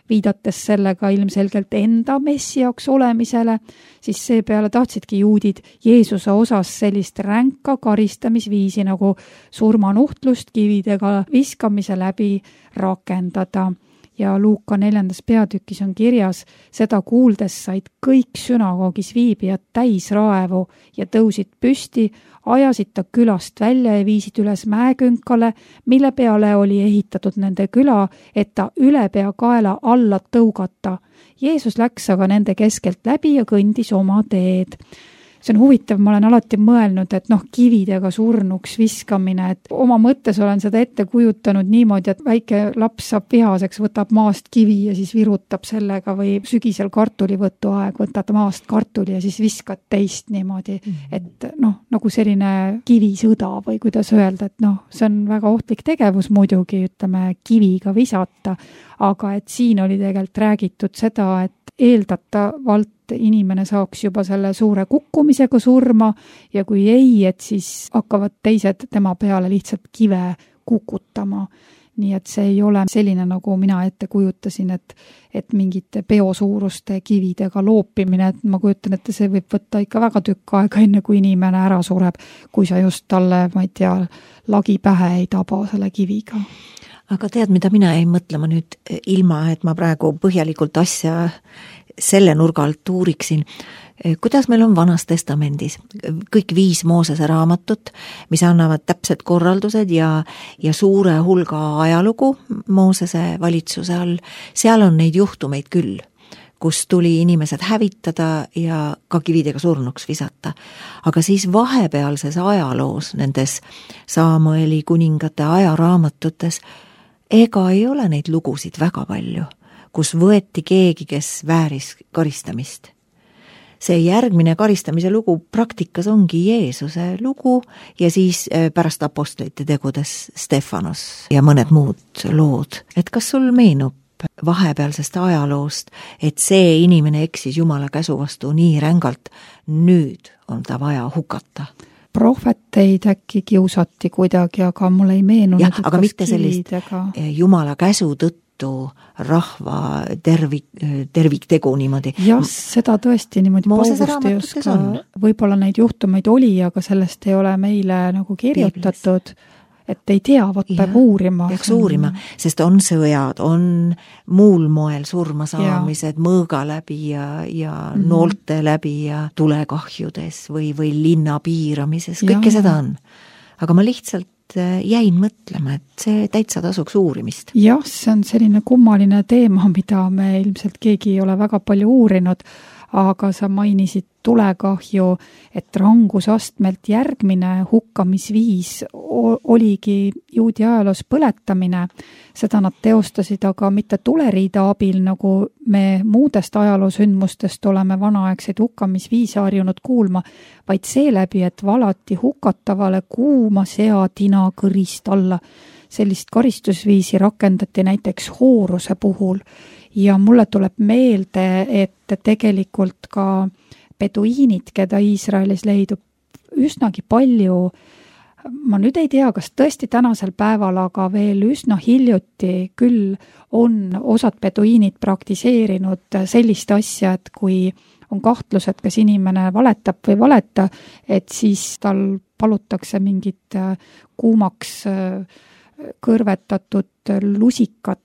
Speaker 2: viidates sellega ilmselgelt enda messiaks olemisele, siis seepeale tahtsidki juudid Jeesuse osas sellist ränka karistamisviisi nagu surmanuhtlust kividega viskamise läbi rakendada. Ja Luuka neljandas peatükis on kirjas, seda kuuldes said kõik sünagoogis viibijad täis raevu ja tõusid püsti, ajasid ta külast välja ja viisid üles mäekünkale, mille peale oli ehitatud nende küla, et ta üle pea kaela alla tõugata. Jeesus läks aga nende keskelt läbi ja kõndis oma teed. See on huvitav, ma olen alati mõelnud, et noh, kividega surnuks viskamine, et oma mõttes olen seda ette kujutanud niimoodi, et väike laps saab vihaseks, võtab maast kivi ja siis virutab sellega või sügisel kartulivõtu aeg, võtad maast kartuli ja siis viskad teist niimoodi, et noh, nagu selline kivisõda või kuidas öelda, et noh, see on väga ohtlik tegevus muidugi, ütleme, kiviga visata, aga et siin oli tegelikult räägitud seda, et eeldatavalt et inimene saaks juba selle suure kukkumisega surma ja kui ei, et siis hakkavad teised tema peale lihtsalt kive kukutama. Nii et see ei ole selline, nagu mina ette kujutasin, et, et mingite peosuuruste kividega loopimine, et ma kujutan, et see võib võtta ikka väga tükk aega, enne kui inimene ära sureb, kui sa just talle, ma ei tea, lagi pähe ei taba selle kiviga.
Speaker 3: Aga tead, mida mina ei mõtlema nüüd ilma, et ma praegu põhjalikult asja selle nurga alt uuriksin, kuidas meil on Vanas Testamendis kõik viis Moosese raamatut, mis annavad täpsed korraldused ja, ja suure hulga ajalugu Moosese valitsuse all. Seal on neid juhtumeid küll, kus tuli inimesed hävitada ja ka kividega surnuks visata. Aga siis vahepealses ajaloos, nendes Saamueli kuningate ajaraamatutes, ega ei ole neid lugusid väga palju, kus võeti keegi, kes vääris karistamist. See järgmine karistamise lugu praktikas ongi Jeesuse lugu ja siis pärast apostlite tegudes Stefanos ja mõned muud lood. Et kas sul meenub vahepealsest ajaloost, et see inimene eksis Jumala käsu vastu nii rängalt, nüüd on ta vaja hukata?
Speaker 2: Prohveteid äkki kiusati kuidagi, aga mul ei meenu.
Speaker 3: Jah, aga mitte sellist Jumala käsu tõttu rahva tervik, terviktegu niimoodi.
Speaker 2: Jah, seda tõesti niimoodi paugust ei oska. Võib-olla neid juhtumeid oli, aga sellest ei ole meile nagu kirjutatud, et ei tea, vot peab uurima.
Speaker 3: Peaks uurima, sest on sõjad, on muul moel surmasaamised, mõõga läbi ja, ja mm-hmm. noolte läbi ja tulekahjudes või, või linna piiramises, kõike seda on. Aga ma lihtsalt jäin mõtlema, et see täitsa tasuks uurimist.
Speaker 2: Jah, see on selline kummaline teema, mida me ilmselt keegi ei ole väga palju uurinud, aga sa mainisid tulekahju, et rangusastmelt järgmine hukkamisviis oligi juudi ajaloos põletamine. Seda nad teostasid aga mitte tuleriida abil, nagu me muudest ajaloosündmustest oleme vanaaegseid hukkamisviise harjunud kuulma, vaid seeläbi, et valati hukatavale kuuma seatina kõrist alla. Sellist karistusviisi rakendati näiteks hooruse puhul ja mulle tuleb meelde, et tegelikult ka beduiinid, keda Iisraelis leidub üsnagi palju, ma nüüd ei tea, kas tõesti tänasel päeval, aga veel üsna hiljuti küll on osad beduiinid praktiseerinud sellist asja, et kui on kahtlus, et kas inimene valetab või valeta, et siis tal palutakse mingit kuumaks kõrvetatud lusikat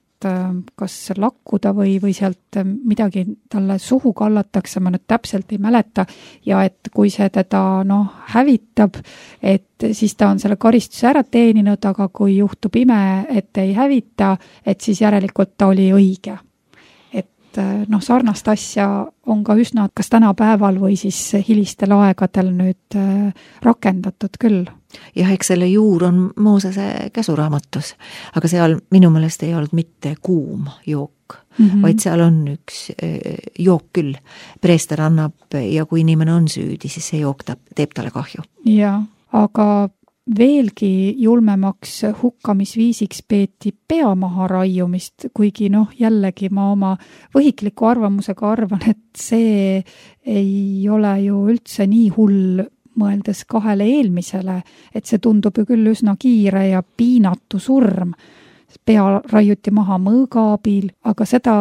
Speaker 2: kas lakkuda või, või sealt midagi talle suhu kallatakse, ma nüüd täpselt ei mäleta, ja et kui see teda no, hävitab, et siis ta on selle karistuse ära teeninud, aga kui juhtub ime, et ei hävita, et siis järelikult ta oli õige. Et noh, sarnast asja on ka üsna kas tänapäeval või siis hilistel aegadel nüüd rakendatud küll.
Speaker 3: Jah, eks selle juur on Moosese käsuraamatus, aga seal minu meelest ei olnud mitte kuum jook, mm-hmm. vaid seal on üks jook küll. Preester annab ja kui inimene on süüdi, siis see jook teeb talle kahju.
Speaker 2: Ja, aga veelgi julmemaks hukkamisviisiks peeti pea maha raiumist, kuigi noh, jällegi ma oma võhikliku arvamusega arvan, et see ei ole ju üldse nii hull mõeldes kahele eelmisele, et see tundub ju küll üsna kiire ja piinatu surm. Pea raiuti maha mõõga abil, aga seda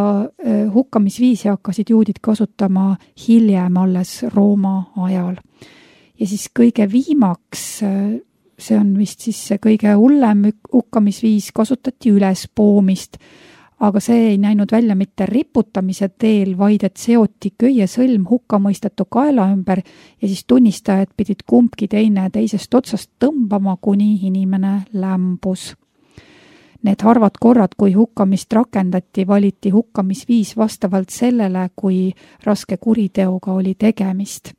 Speaker 2: hukkamisviisi hakkasid juudid kasutama hiljem alles Rooma ajal. Ja siis kõige viimaks, see on vist siis see kõige hullem hukkamisviis, kasutati ülespoomist, aga see ei näinud välja mitte riputamise teel, vaid et seoti köie sõlm hukkamõistetu kaela ümber ja siis tunnistajad pidid kumbki teine teisest otsast tõmbama, kuni inimene lämbus. Need harvad korrad, kui hukkamist rakendati, valiti hukkamisviis vastavalt sellele, kui raske kuriteoga oli tegemist.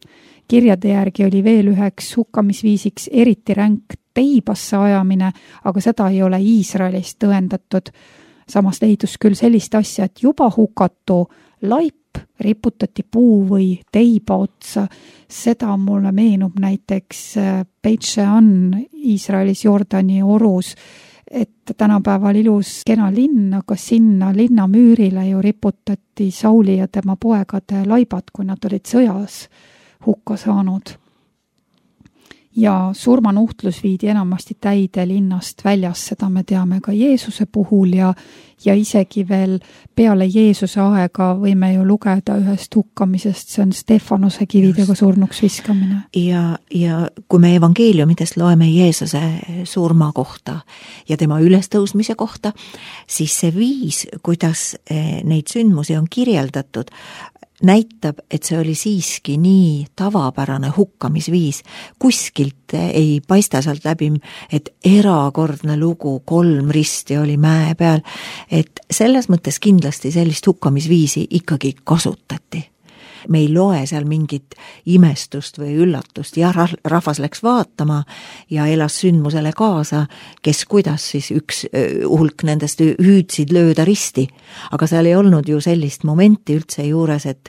Speaker 2: Kirjade järgi oli veel üheks hukkamisviisiks eriti ränk teibasse ajamine, aga seda ei ole Iisraelis tõendatud. Samas leidus küll sellist asja, et juba hukatu laip riputati puu või teiba otsa. Seda mulle meenub näiteks Beit Shean Iisraelis Jordani orus. et tänapäeval ilus kena linn, aga sinna linna müürile ju riputati Sauli ja tema poegade laibad, kui nad olid sõjas hukka saanud. Ja surmanuhtlus viidi enamasti täide linnast väljas, seda me teame ka Jeesuse puhul ja, ja isegi veel peale Jeesuse aega võime ju lugeda ühest hukkamisest, see on Stefanose kividega surnuks viskamine.
Speaker 3: Ja, ja kui me evangeeliumidest loeme Jeesuse surma kohta ja tema ülestõusmise kohta, siis see viis, kuidas neid sündmusi on kirjeldatud, näitab, et see oli siiski nii tavapärane hukkamisviis. Kuskilt ei paista sealt läbi, et erakordne lugu, kolm risti oli mäe peal, et selles mõttes kindlasti sellist hukkamisviisi ikkagi kasutati. Me ei loe seal mingit imestust või üllatust ja rahvas läks vaatama ja elas sündmusele kaasa, kes kuidas siis üks hulk nendest hüüdsid lööda risti. Aga seal ei olnud ju sellist momenti üldse juures, et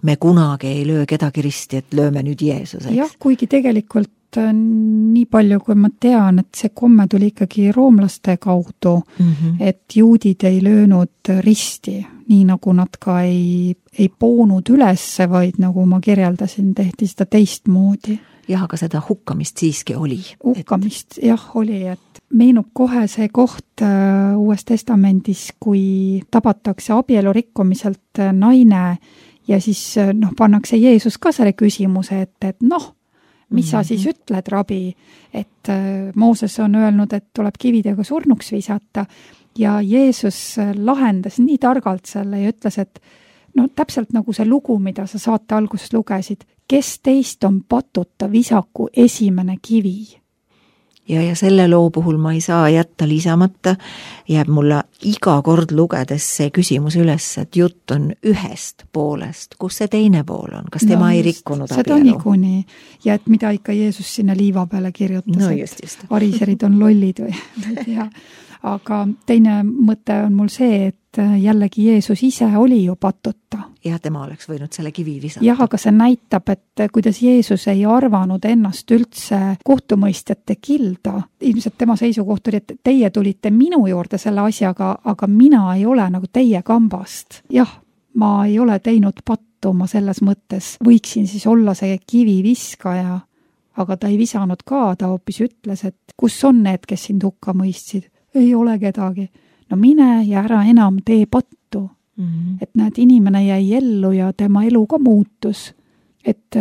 Speaker 3: me kunagi ei löö kedagi risti, et lööme nüüd Jeesuseks.
Speaker 2: Jah, kuigi tegelikult nii palju, kui ma tean, et see komme tuli ikkagi roomlaste kaudu, mm-hmm. et juudid ei löönud risti, nii nagu nad ka ei, ei poonud ülesse, vaid nagu ma kirjeldasin, tehti seda teistmoodi.
Speaker 3: Jah, aga seda hukkamist siiski oli.
Speaker 2: Hukkamist, et... jah, oli, et meenub kohe see koht uh, Uues Testamendis, kui tabatakse abielu rikkumiselt naine ja siis noh, pannakse Jeesus ka selle küsimuse, et, et noh, mis sa siis ütled, rabi, et Mooses on öelnud, et tuleb kividega surnuks visata ja Jeesus lahendas nii targalt selle ja ütles, et no täpselt nagu see lugu, mida sa saate alguses lugesid, kes teist on patuta, visaku esimene kivi.
Speaker 3: Ja, ja selle loo puhul ma ei saa jätta lisamata, jääb mulle iga kord lugedes see küsimus üles, et jutt on ühest poolest, kus see teine pool on, kas tema no, ei rikkunud abielu?
Speaker 2: Seda niikuinii, ja et mida ikka Jeesus sinna liiva peale kirjutas,
Speaker 3: no, just, just.
Speaker 2: et variserid on lollid või ei tea. Aga teine mõte on mul see, et jällegi Jeesus ise oli ju patuta.
Speaker 3: Ja tema oleks võinud selle kivi visata.
Speaker 2: Jah, aga see näitab, et kuidas Jeesus ei arvanud ennast üldse kohtumõistjate kilda. Ilmselt tema seisukoht oli, et teie tulite minu juurde selle asjaga, aga mina ei ole nagu teie kambast. Jah, ma ei ole teinud pattu, ma selles mõttes võiksin siis olla see kivi viskaja, aga ta ei visanud ka, ta hoopis ütles, et kus on need, kes sind hukka mõistsid? Ei ole kedagi. No mine ja ära enam tee pattu. Mm-hmm. Et näed, inimene jäi ellu ja tema elu ka muutus. Et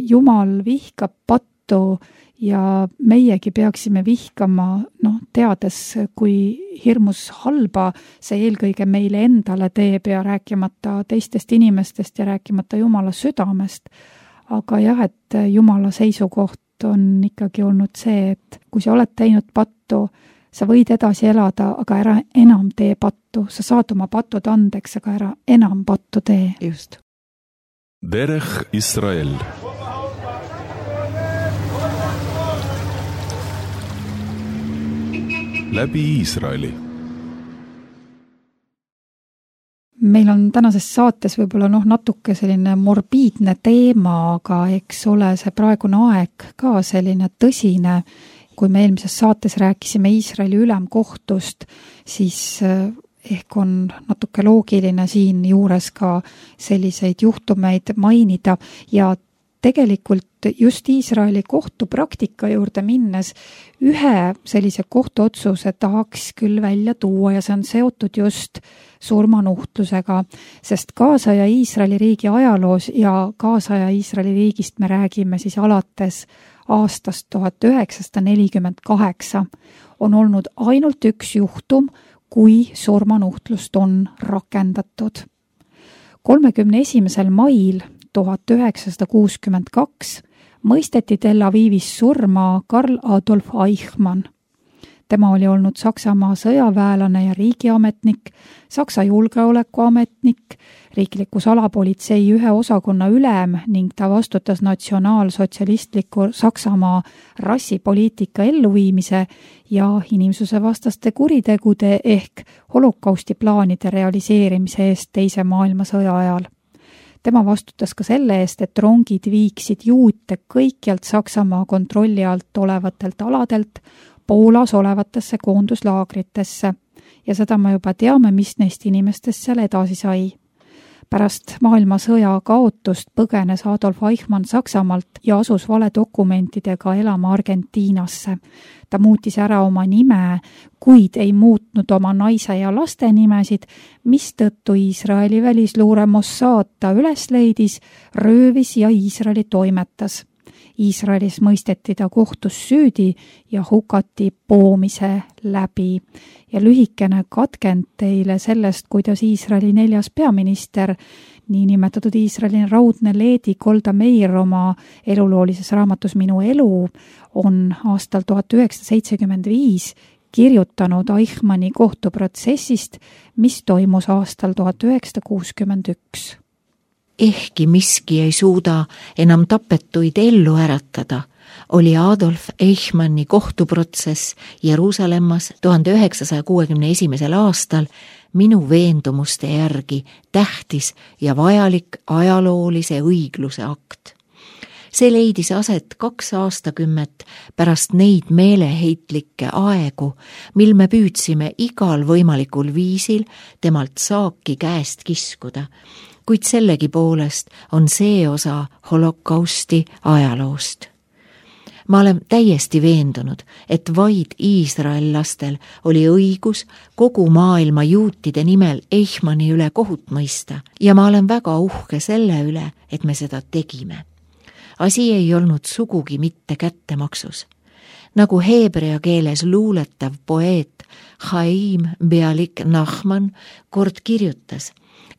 Speaker 2: Jumal vihkab pattu ja meiegi peaksime vihkama, noh, teades, kui hirmus halba see eelkõige meile endale teeb ja rääkimata teistest inimestest ja rääkimata Jumala südamest. Aga jah, et Jumala seisukoht on ikkagi olnud see, et kui sa oled teinud pattu, sa võid edasi elada, aga ära enam tee pattu. Sa saad oma patud andeks, aga ära enam pattu tee.
Speaker 3: Just.
Speaker 1: Derech Israel. Läbi Iisraeli.
Speaker 2: Meil on tänases saates võib-olla noh, natuke selline morbiidne teema, aga eks ole see praegune aeg ka selline tõsine. Kui me eelmises saates rääkisime Iisraeli ülemkohtust, siis ehk on natuke loogiline siin juures ka selliseid juhtumeid mainida ja tegelikult just Iisraeli kohtupraktika juurde minnes ühe sellise kohtuotsuse tahaks küll välja tuua ja see on seotud just surmanuhtlusega, sest kaasaja Iisraeli riigi ajaloos ja kaasaja Iisraeli riigist me räägime siis alates aastast tuhat üheksasada nelikümmend kaheksa on olnud ainult üks juhtum, kui surmanuhtlust on rakendatud. kolmekümne esimesel mail tuhat üheksasada kuuskümmend kaks mõisteti Tel Avivis surma Karl Adolf Eichmann. Tema oli olnud Saksamaa sõjaväelane ja riigiametnik, Saksa julgeolekuametnik, riikliku salapolitsei ühe osakonna ülem ning ta vastutas natsionaalsotsialistliku Saksamaa rassipoliitika elluviimise ja inimsusevastaste kuritegude ehk holokausti plaanide realiseerimise eest teise maailmasõja ajal. tema vastutas ka selle eest, et rongid viiksid juute kõikjalt Saksamaa kontrolli alt olevatelt aladelt Poolas olevatesse koonduslaagritesse ja seda me juba teame, mis neist inimestest seal edasi sai. Pärast maailmasõja kaotust põgenes Adolf Eichmann Saksamaalt ja asus valedokumentidega elama Argentiinasse. Ta muutis ära oma nime, kuid ei muutnud oma naise ja laste nimesid, mistõttu Iisraeli välisluure Mossad ta üles leidis, röövis ja Iisraeli toimetas. Iisraelis mõisteti ta kohtus süüdi ja hukati poomise läbi. Ja lühikene katkend teile sellest, kuidas Iisraeli neljas peaminister, niinimetatud Iisraeli raudne leedi Golda Meir oma eluloolises raamatus Minu elu, on aastal tuhat üheksasada seitsekümmend viis kirjutanud Eichmanni kohtuprotsessist, mis toimus aastal tuhat üheksasada kuuskümmend üks.
Speaker 3: Ehkki miski ei suuda enam tapetuid ellu äratada, oli Adolf Eichmanni kohtuprotsess Jeruusalemmas tuhande üheksasaja kuuekümne esimesel aastal minu veendumuste järgi tähtis ja vajalik ajaloolise õigluse akt. See leidis aset kaks aastakümmet pärast neid meeleheitlikke aegu, mil me püüdsime igal võimalikul viisil temalt saaki käest kiskuda, kuid sellegi poolest on see osa holokausti ajaloost. Ma olen täiesti veendunud, et vaid iisraellastel oli õigus kogu maailma juutide nimel Eichmanni üle kohut mõista ja ma olen väga uhke selle üle, et me seda tegime. Asi ei olnud sugugi mitte kättemaksus. Nagu heebrea keeles luuletav poeet Chaim Bialik Nachman kord kirjutas,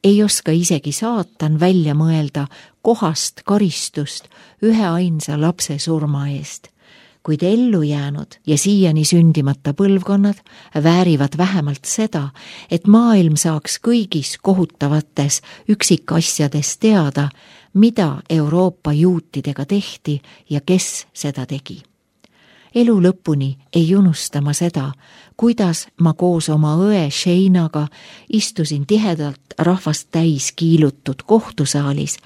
Speaker 3: ei oska isegi saatan välja mõelda kohast karistust ühe ainsa lapse surma eest, kuid ellu jäänud ja siiani sündimata põlvkonnad väärivad vähemalt seda, et maailm saaks kõigis kohutavates üksikasjades teada, mida Euroopa juutidega tehti ja kes seda tegi. Elu lõpuni ei unustama seda, kuidas ma koos oma õe Sheinaga istusin tihedalt rahvast täis kiilutud kohtusaalis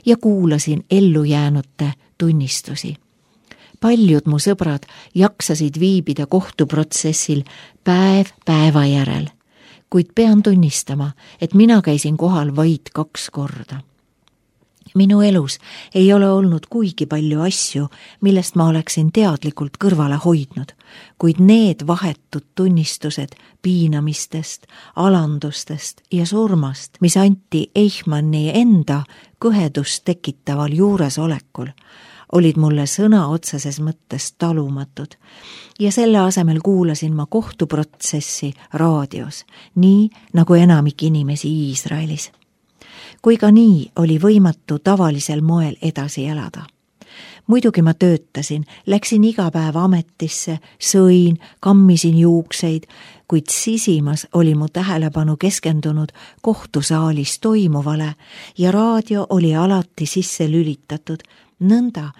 Speaker 3: ja kuulasin ellujäänute tunnistusi. Paljud mu sõbrad jaksasid viibida kohtuprotsessil päev päeva järel, kuid pean tunnistama, et mina käisin kohal vaid kaks korda. Minu elus ei ole olnud kuigi palju asju, millest ma oleksin teadlikult kõrvale hoidnud, kuid need vahetud tunnistused piinamistest, alandustest ja surmast, mis anti Eichmanni enda kõhedust tekitaval juuresolekul, olid mulle sõna otseses mõttes talumatud ja selle asemel kuulasin ma kohtuprotsessi raadios, nii nagu enamik inimesi Iisraelis. Kui ka nii oli võimatu tavalisel moel edasi elada. Muidugi ma töötasin, läksin iga päev ametisse, sõin, kammisin juukseid, kuid sisimas oli mu tähelepanu keskendunud kohtusaalis toimuvale ja raadio oli alati sisse lülitatud, nõnda,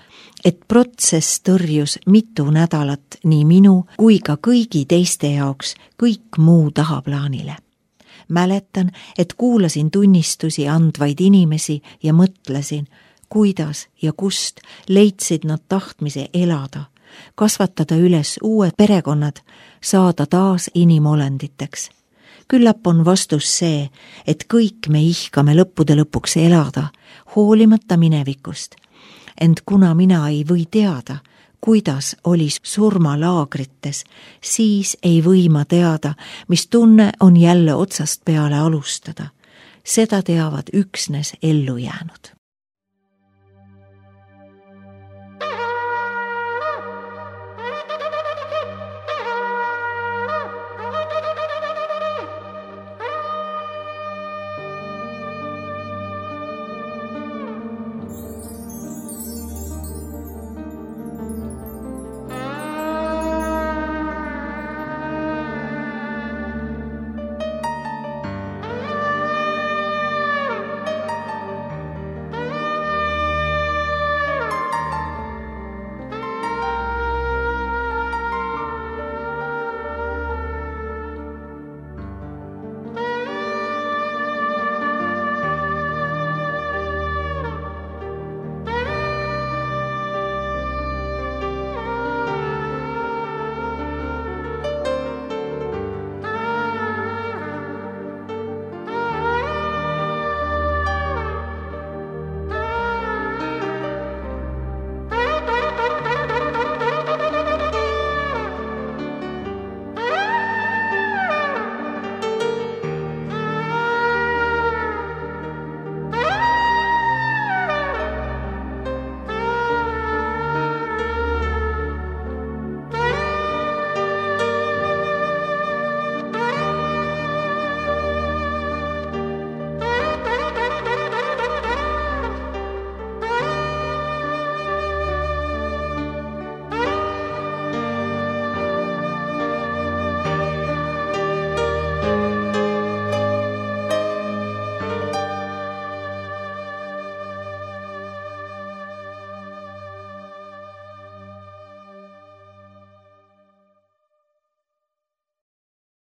Speaker 3: et protsess tõrjus mitu nädalat nii minu kui ka kõigi teiste jaoks kõik muu tahaplaanile. Mäletan, et kuulasin tunnistusi andvaid inimesi ja mõtlesin, kuidas ja kust leidsid nad tahtmise elada, kasvatada üles uued perekonnad, saada taas inimolenditeks. Küllap on vastus see, et kõik me ihkame lõppude lõpuks elada, hoolimata minevikust. Ent kuna mina ei või teada, kuidas oli surmalaagrites, siis ei või ma teada, mis tunne on jälle otsast peale alustada. Seda teavad üksnes ellu jäänud.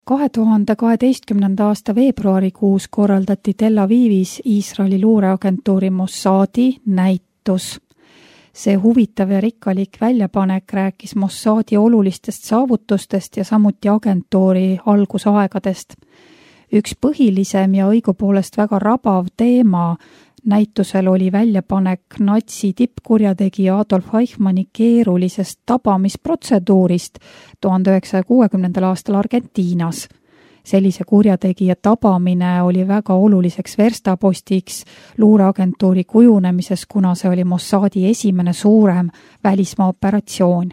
Speaker 2: kahe tuhande kaheteistkümnenda aasta veebruarikuus korraldati Tel Avivis Iisraeli luureagentuuri Mossadi näitus. See huvitav ja rikkalik väljapanek rääkis Mossadi olulistest saavutustest ja samuti agentuuri algusaegadest. Üks põhilisem ja õigupoolest väga rabav teema näitusel oli väljapanek natsi tippkurjategija Adolf Eichmanni keerulisest tabamisprotseduurist tuhande üheksasaja kuuekümnendal aastal Argentiinas. Sellise kurjategija tabamine oli väga oluliseks verstapostiks luureagentuuri kujunemises, kuna see oli Mossadi esimene suurem välismaa operatsioon.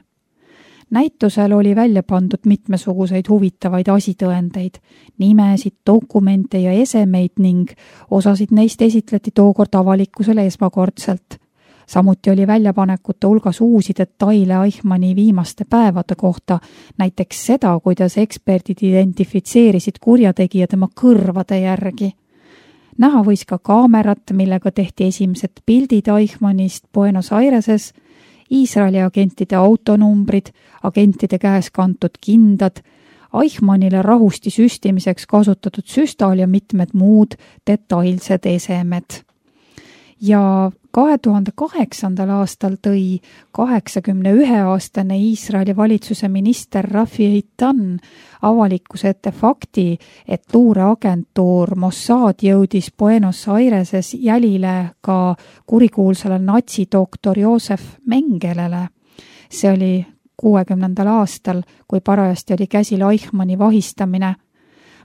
Speaker 2: Näitusel oli välja pandud mitmesuguseid huvitavaid asitõendeid, nimesid, dokumente ja esemeid ning osasid neist esitleti tookord avalikkusele esmakordselt. Samuti oli väljapanekute hulgas uusi detaile Eichmanni viimaste päevade kohta, näiteks seda, kuidas eksperdid identifitseerisid kurjategija tema kõrvade järgi. Näha võis ka kaamerat, millega tehti esimesed pildid Eichmannist Buenos Aireses, Iisraeli agentide autonumbrid, agentide käes kantud kindad, Eichmannile rahusti süstimiseks kasutatud süstal ja mitmed muud detailsed esemed. Ja kahe tuhande kaheksandal aastal tõi kaheksakümne ühe aastane Iisraeli valitsuse minister Rafi Eitan avalikkuse ette fakti, et luureagentuur Mossad jõudis Buenos Aireses jälile ka kurikuulsale natsidoktor Josef Mengelele. See oli kuuekümnendal aastal, kui parajasti oli käsil Eichmanni vahistamine.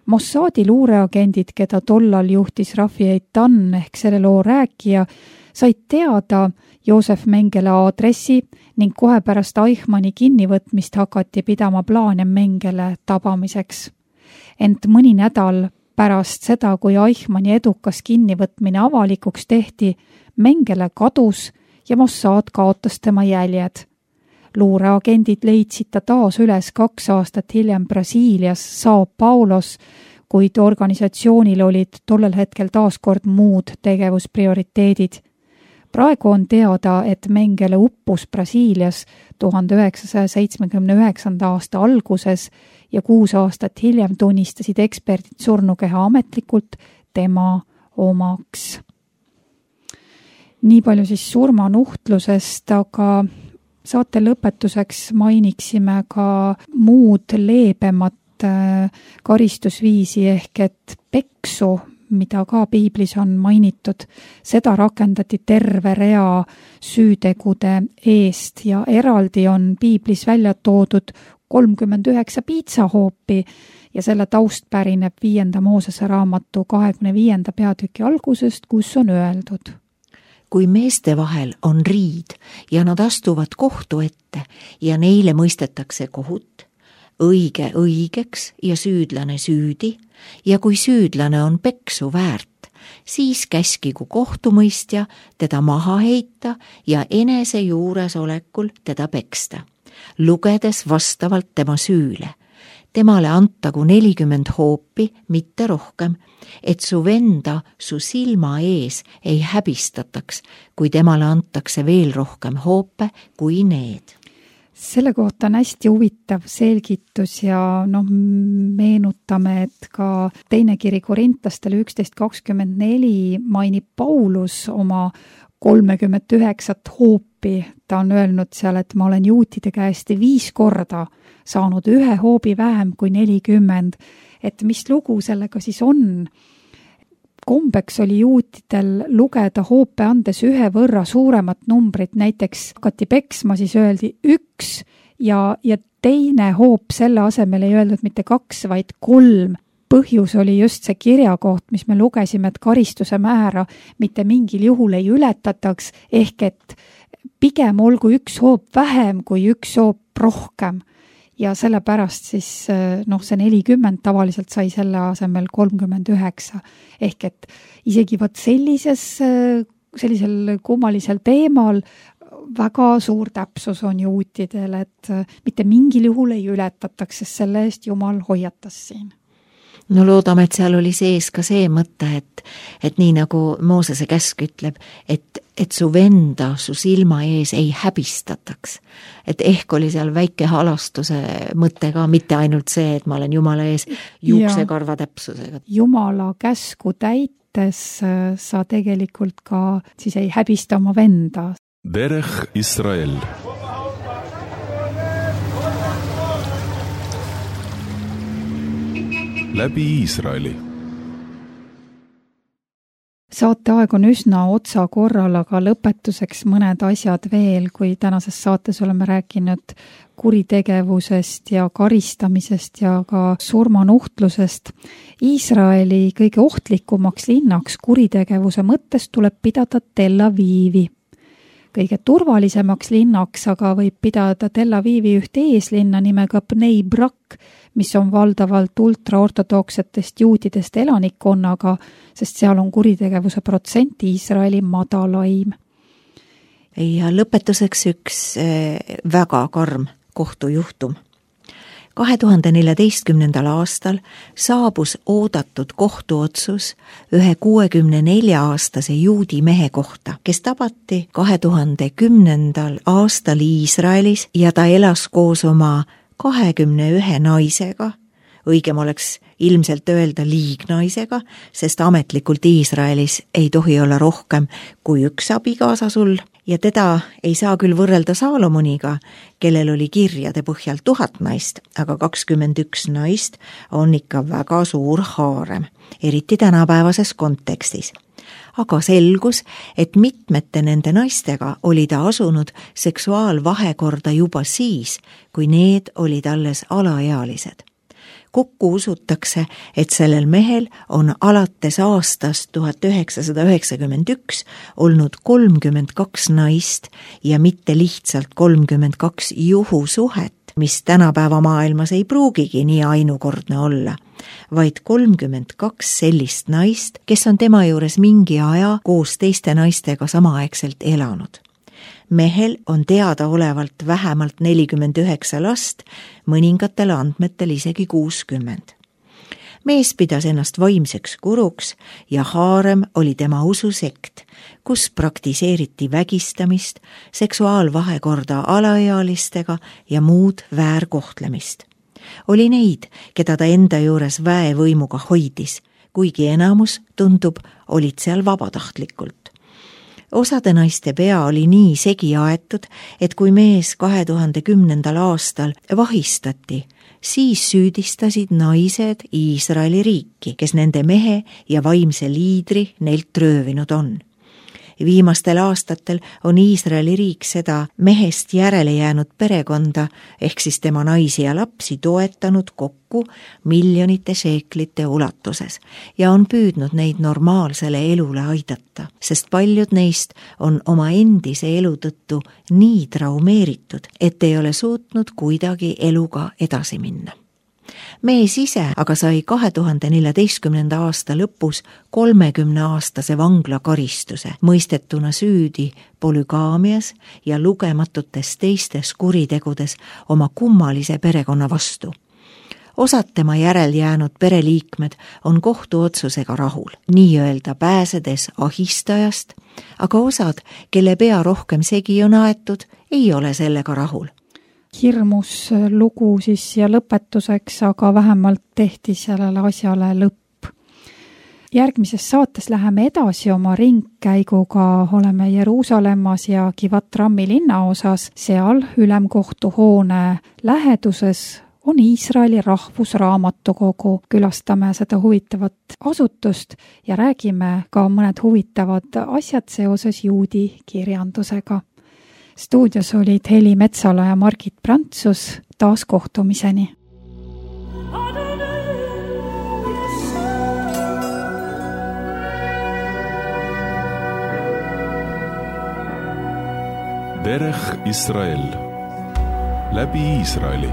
Speaker 2: Mossadi luureagendid, keda tollal juhtis Rafi Eitan ehk selle loo rääkija, said teada Josef Mengele aadressi ning kohe pärast Eichmanni kinnivõtmist hakati pidama plaane Mengele tabamiseks. Ent mõni nädal pärast seda, kui Eichmanni edukas kinnivõtmine avalikuks tehti, Mengele kadus ja Mossad kaotas tema jäljed. Luureagendid leidsid ta taas üles kaks aastat hiljem Brasiilias Sao Paulos, kuid organisatsioonil olid tollel hetkel taaskord muud tegevusprioriteedid. Praegu on teada, et Mengele uppus Brasiilias tuhande üheksasaja seitsmekümne üheksanda aasta alguses ja kuus aastat hiljem tunnistasid eksperdid surnukeha ametlikult tema omaks. Nii palju siis surmanuhtlusest, aga saate lõpetuseks mainiksime ka muud leebemat karistusviisi ehk et peksu, mida ka piiblis on mainitud. Seda rakendati terve rea süütegude eest ja eraldi on piiblis välja toodud kolmkümmend üheksa piitsahoopi ja selle taust pärineb viienda Moosese raamatu kahekümne viienda peatüki algusest, kus on öeldud.
Speaker 3: Kui meeste vahel on riid ja nad astuvad kohtu ette ja neile mõistetakse kohut, õige õigeks ja süüdlane süüdi, ja kui süüdlane on peksu väärt, siis käskigu kohtumõistja teda maha heita ja enese juuresolekul teda peksta, lugedes vastavalt tema süüle. Temale antagu nelikümmend hoopi, mitte rohkem, et su venda su silma ees ei häbistataks, kui temale antakse veel rohkem hoope kui need.
Speaker 2: Selle kohta on hästi huvitav selgitus ja noh, meenutame, et ka teine kiri Korintastele üksteist kakskümmend neli mainib Paulus oma kolmekümmet üheksat hoopi. Ta on öelnud seal, et ma olen juutide käest viis korda saanud ühe hoobi vähem kui nelikümmend. Et mis lugu sellega siis on? Kombeks oli juutidel lugeda hoope andes ühe võrra suuremat numbrit, näiteks hakati peksma, siis öeldi üks ja, ja teine hoop selle asemel ei öeldud mitte kaks, vaid kolm. Põhjus oli just see kirjakoht, mis me lugesime, et karistuse määra mitte mingil juhul ei ületataks, ehk et pigem olgu üks hoop vähem kui üks hoop rohkem. Ja sellepärast siis noh, see nelikümmend tavaliselt sai selle asemel kolmkümmend üheksa. Ehk et isegi võt sellises, sellisel kummalisel teemal väga suur täpsus on juutidel, et mitte mingil juhul ei ületataks, sest selle eest Jumal hoiatas siin.
Speaker 3: no loodame, et seal oli sees ka see mõte, et, et nii nagu Moosese käsk ütleb, et, et su venda su silma ees ei häbistataks. Et ehk oli seal väike halastuse mõte ka, mitte ainult see, et ma olen Jumala ees juuksekarva täpsusega.
Speaker 2: Jumala käsku täites sa tegelikult ka siis ei häbista oma venda.
Speaker 1: Derech Israel. Läbi Iisraeli.
Speaker 2: Saateaeg on üsna otsa korral, aga lõpetuseks mõned asjad veel, kui tänases saates oleme rääkinud kuritegevusest ja karistamisest ja ka surmanuhtlusest. Iisraeli kõige ohtlikumaks linnaks kuritegevuse mõttes tuleb pidada Tel Avivi. Kõige turvalisemaks linnaks aga võib pidada Tel Avivi ühte eeslinna nimega Bnei Brak, mis on valdavalt ultraortodoksetest juudidest elanikkonnaga, sest seal on kuritegevuse protsent Iisraeli madalaim.
Speaker 3: Ja lõpetuseks üks väga karm kohtujuhtum. kahe tuhande neljateistkümnendal aastal saabus oodatud kohtuotsus ühe kuuekümne nelja aastase juudi mehe kohta, kes tabati kahe tuhande kümnendal aastal Iisraelis ja ta elas koos oma kahekümne ühe naisega, õigem oleks ilmselt öelda liignaisega, sest ametlikult Iisraelis ei tohi olla rohkem kui üks abikaasa sul ja teda ei saa küll võrrelda Saalomoniga, kellel oli kirjade põhjal tuhat naist, aga kakskümmend üks naist on ikka väga suur haarem, eriti tänapäevases kontekstis. Aga selgus, et mitmete nende naistega oli ta asunud seksuaalvahekorda juba siis, kui need olid alles alaealised. Kokku usutakse, et sellel mehel on alates aastast tuhat üheksasada üheksakümmend üks olnud kolmkümmend kaks naist ja mitte lihtsalt kolmkümmend kaks juhusuhet, mis tänapäeva maailmas ei pruugigi nii ainukordne olla, vaid kolmkümmend kaks sellist naist, kes on tema juures mingi aja koos teiste naistega samaaegselt elanud. Mehel on teadaolevalt vähemalt nelikümmend üheksa last, mõningatel andmetel isegi kuuskümmend. Mees pidas ennast vaimseks guruks ja haarem oli tema ususekt, kus praktiseeriti vägistamist, seksuaalvahekorda alaealistega ja muud väärkohtlemist. Oli neid, keda ta enda juures väevõimuga hoidis, kuigi enamus, tundub, olid seal vabatahtlikult. Osade naiste pea oli nii segi aetud, et kui mees kahe tuhande kümnendal aastal vahistati, siis süüdistasid naised Iisraeli riiki, kes nende mehe ja vaimse liidri neilt röövinud on. Viimastel aastatel on Iisraeli riik seda mehest järele jäänud perekonda ehk siis tema naisi ja lapsi toetanud kokku miljonite šeeklite ulatuses ja on püüdnud neid normaalsele elule aidata, sest paljud neist on oma endise elu tõttu nii traumeeritud, et ei ole suutnud kuidagi eluga edasi minna. Mees ise aga sai kahe tuhande neljateistkümnenda aasta lõpus kolmekümne aastase vanglakaristuse, mõistetuna süüdi polügaamias ja lugematutes teistes kuritegudes oma kummalise perekonna vastu. Osad tema järel jäänud pereliikmed on kohtuotsusega rahul, nii-öelda pääsedes ahistajast, aga osad, kelle pea rohkem segi on aetud, ei ole sellega rahul.
Speaker 2: Hirmus lugu siis ja lõpetuseks, aga vähemalt tehti sellele asjale lõpp. Järgmises saates läheme edasi oma ringkäiguga, oleme Jeruusalemmas ja Givat Rammi linnaosas, seal ülemkohtu hoone läheduses on Iisraeli rahvusraamatukogu. Külastame seda huvitavat asutust ja räägime ka mõned huvitavad asjad seoses juudi kirjandusega. Stuudios olid Heli Metsala ja Margit Prantsus, taas kohtumiseni.
Speaker 1: Derech Israel. Läbi Iisraeli.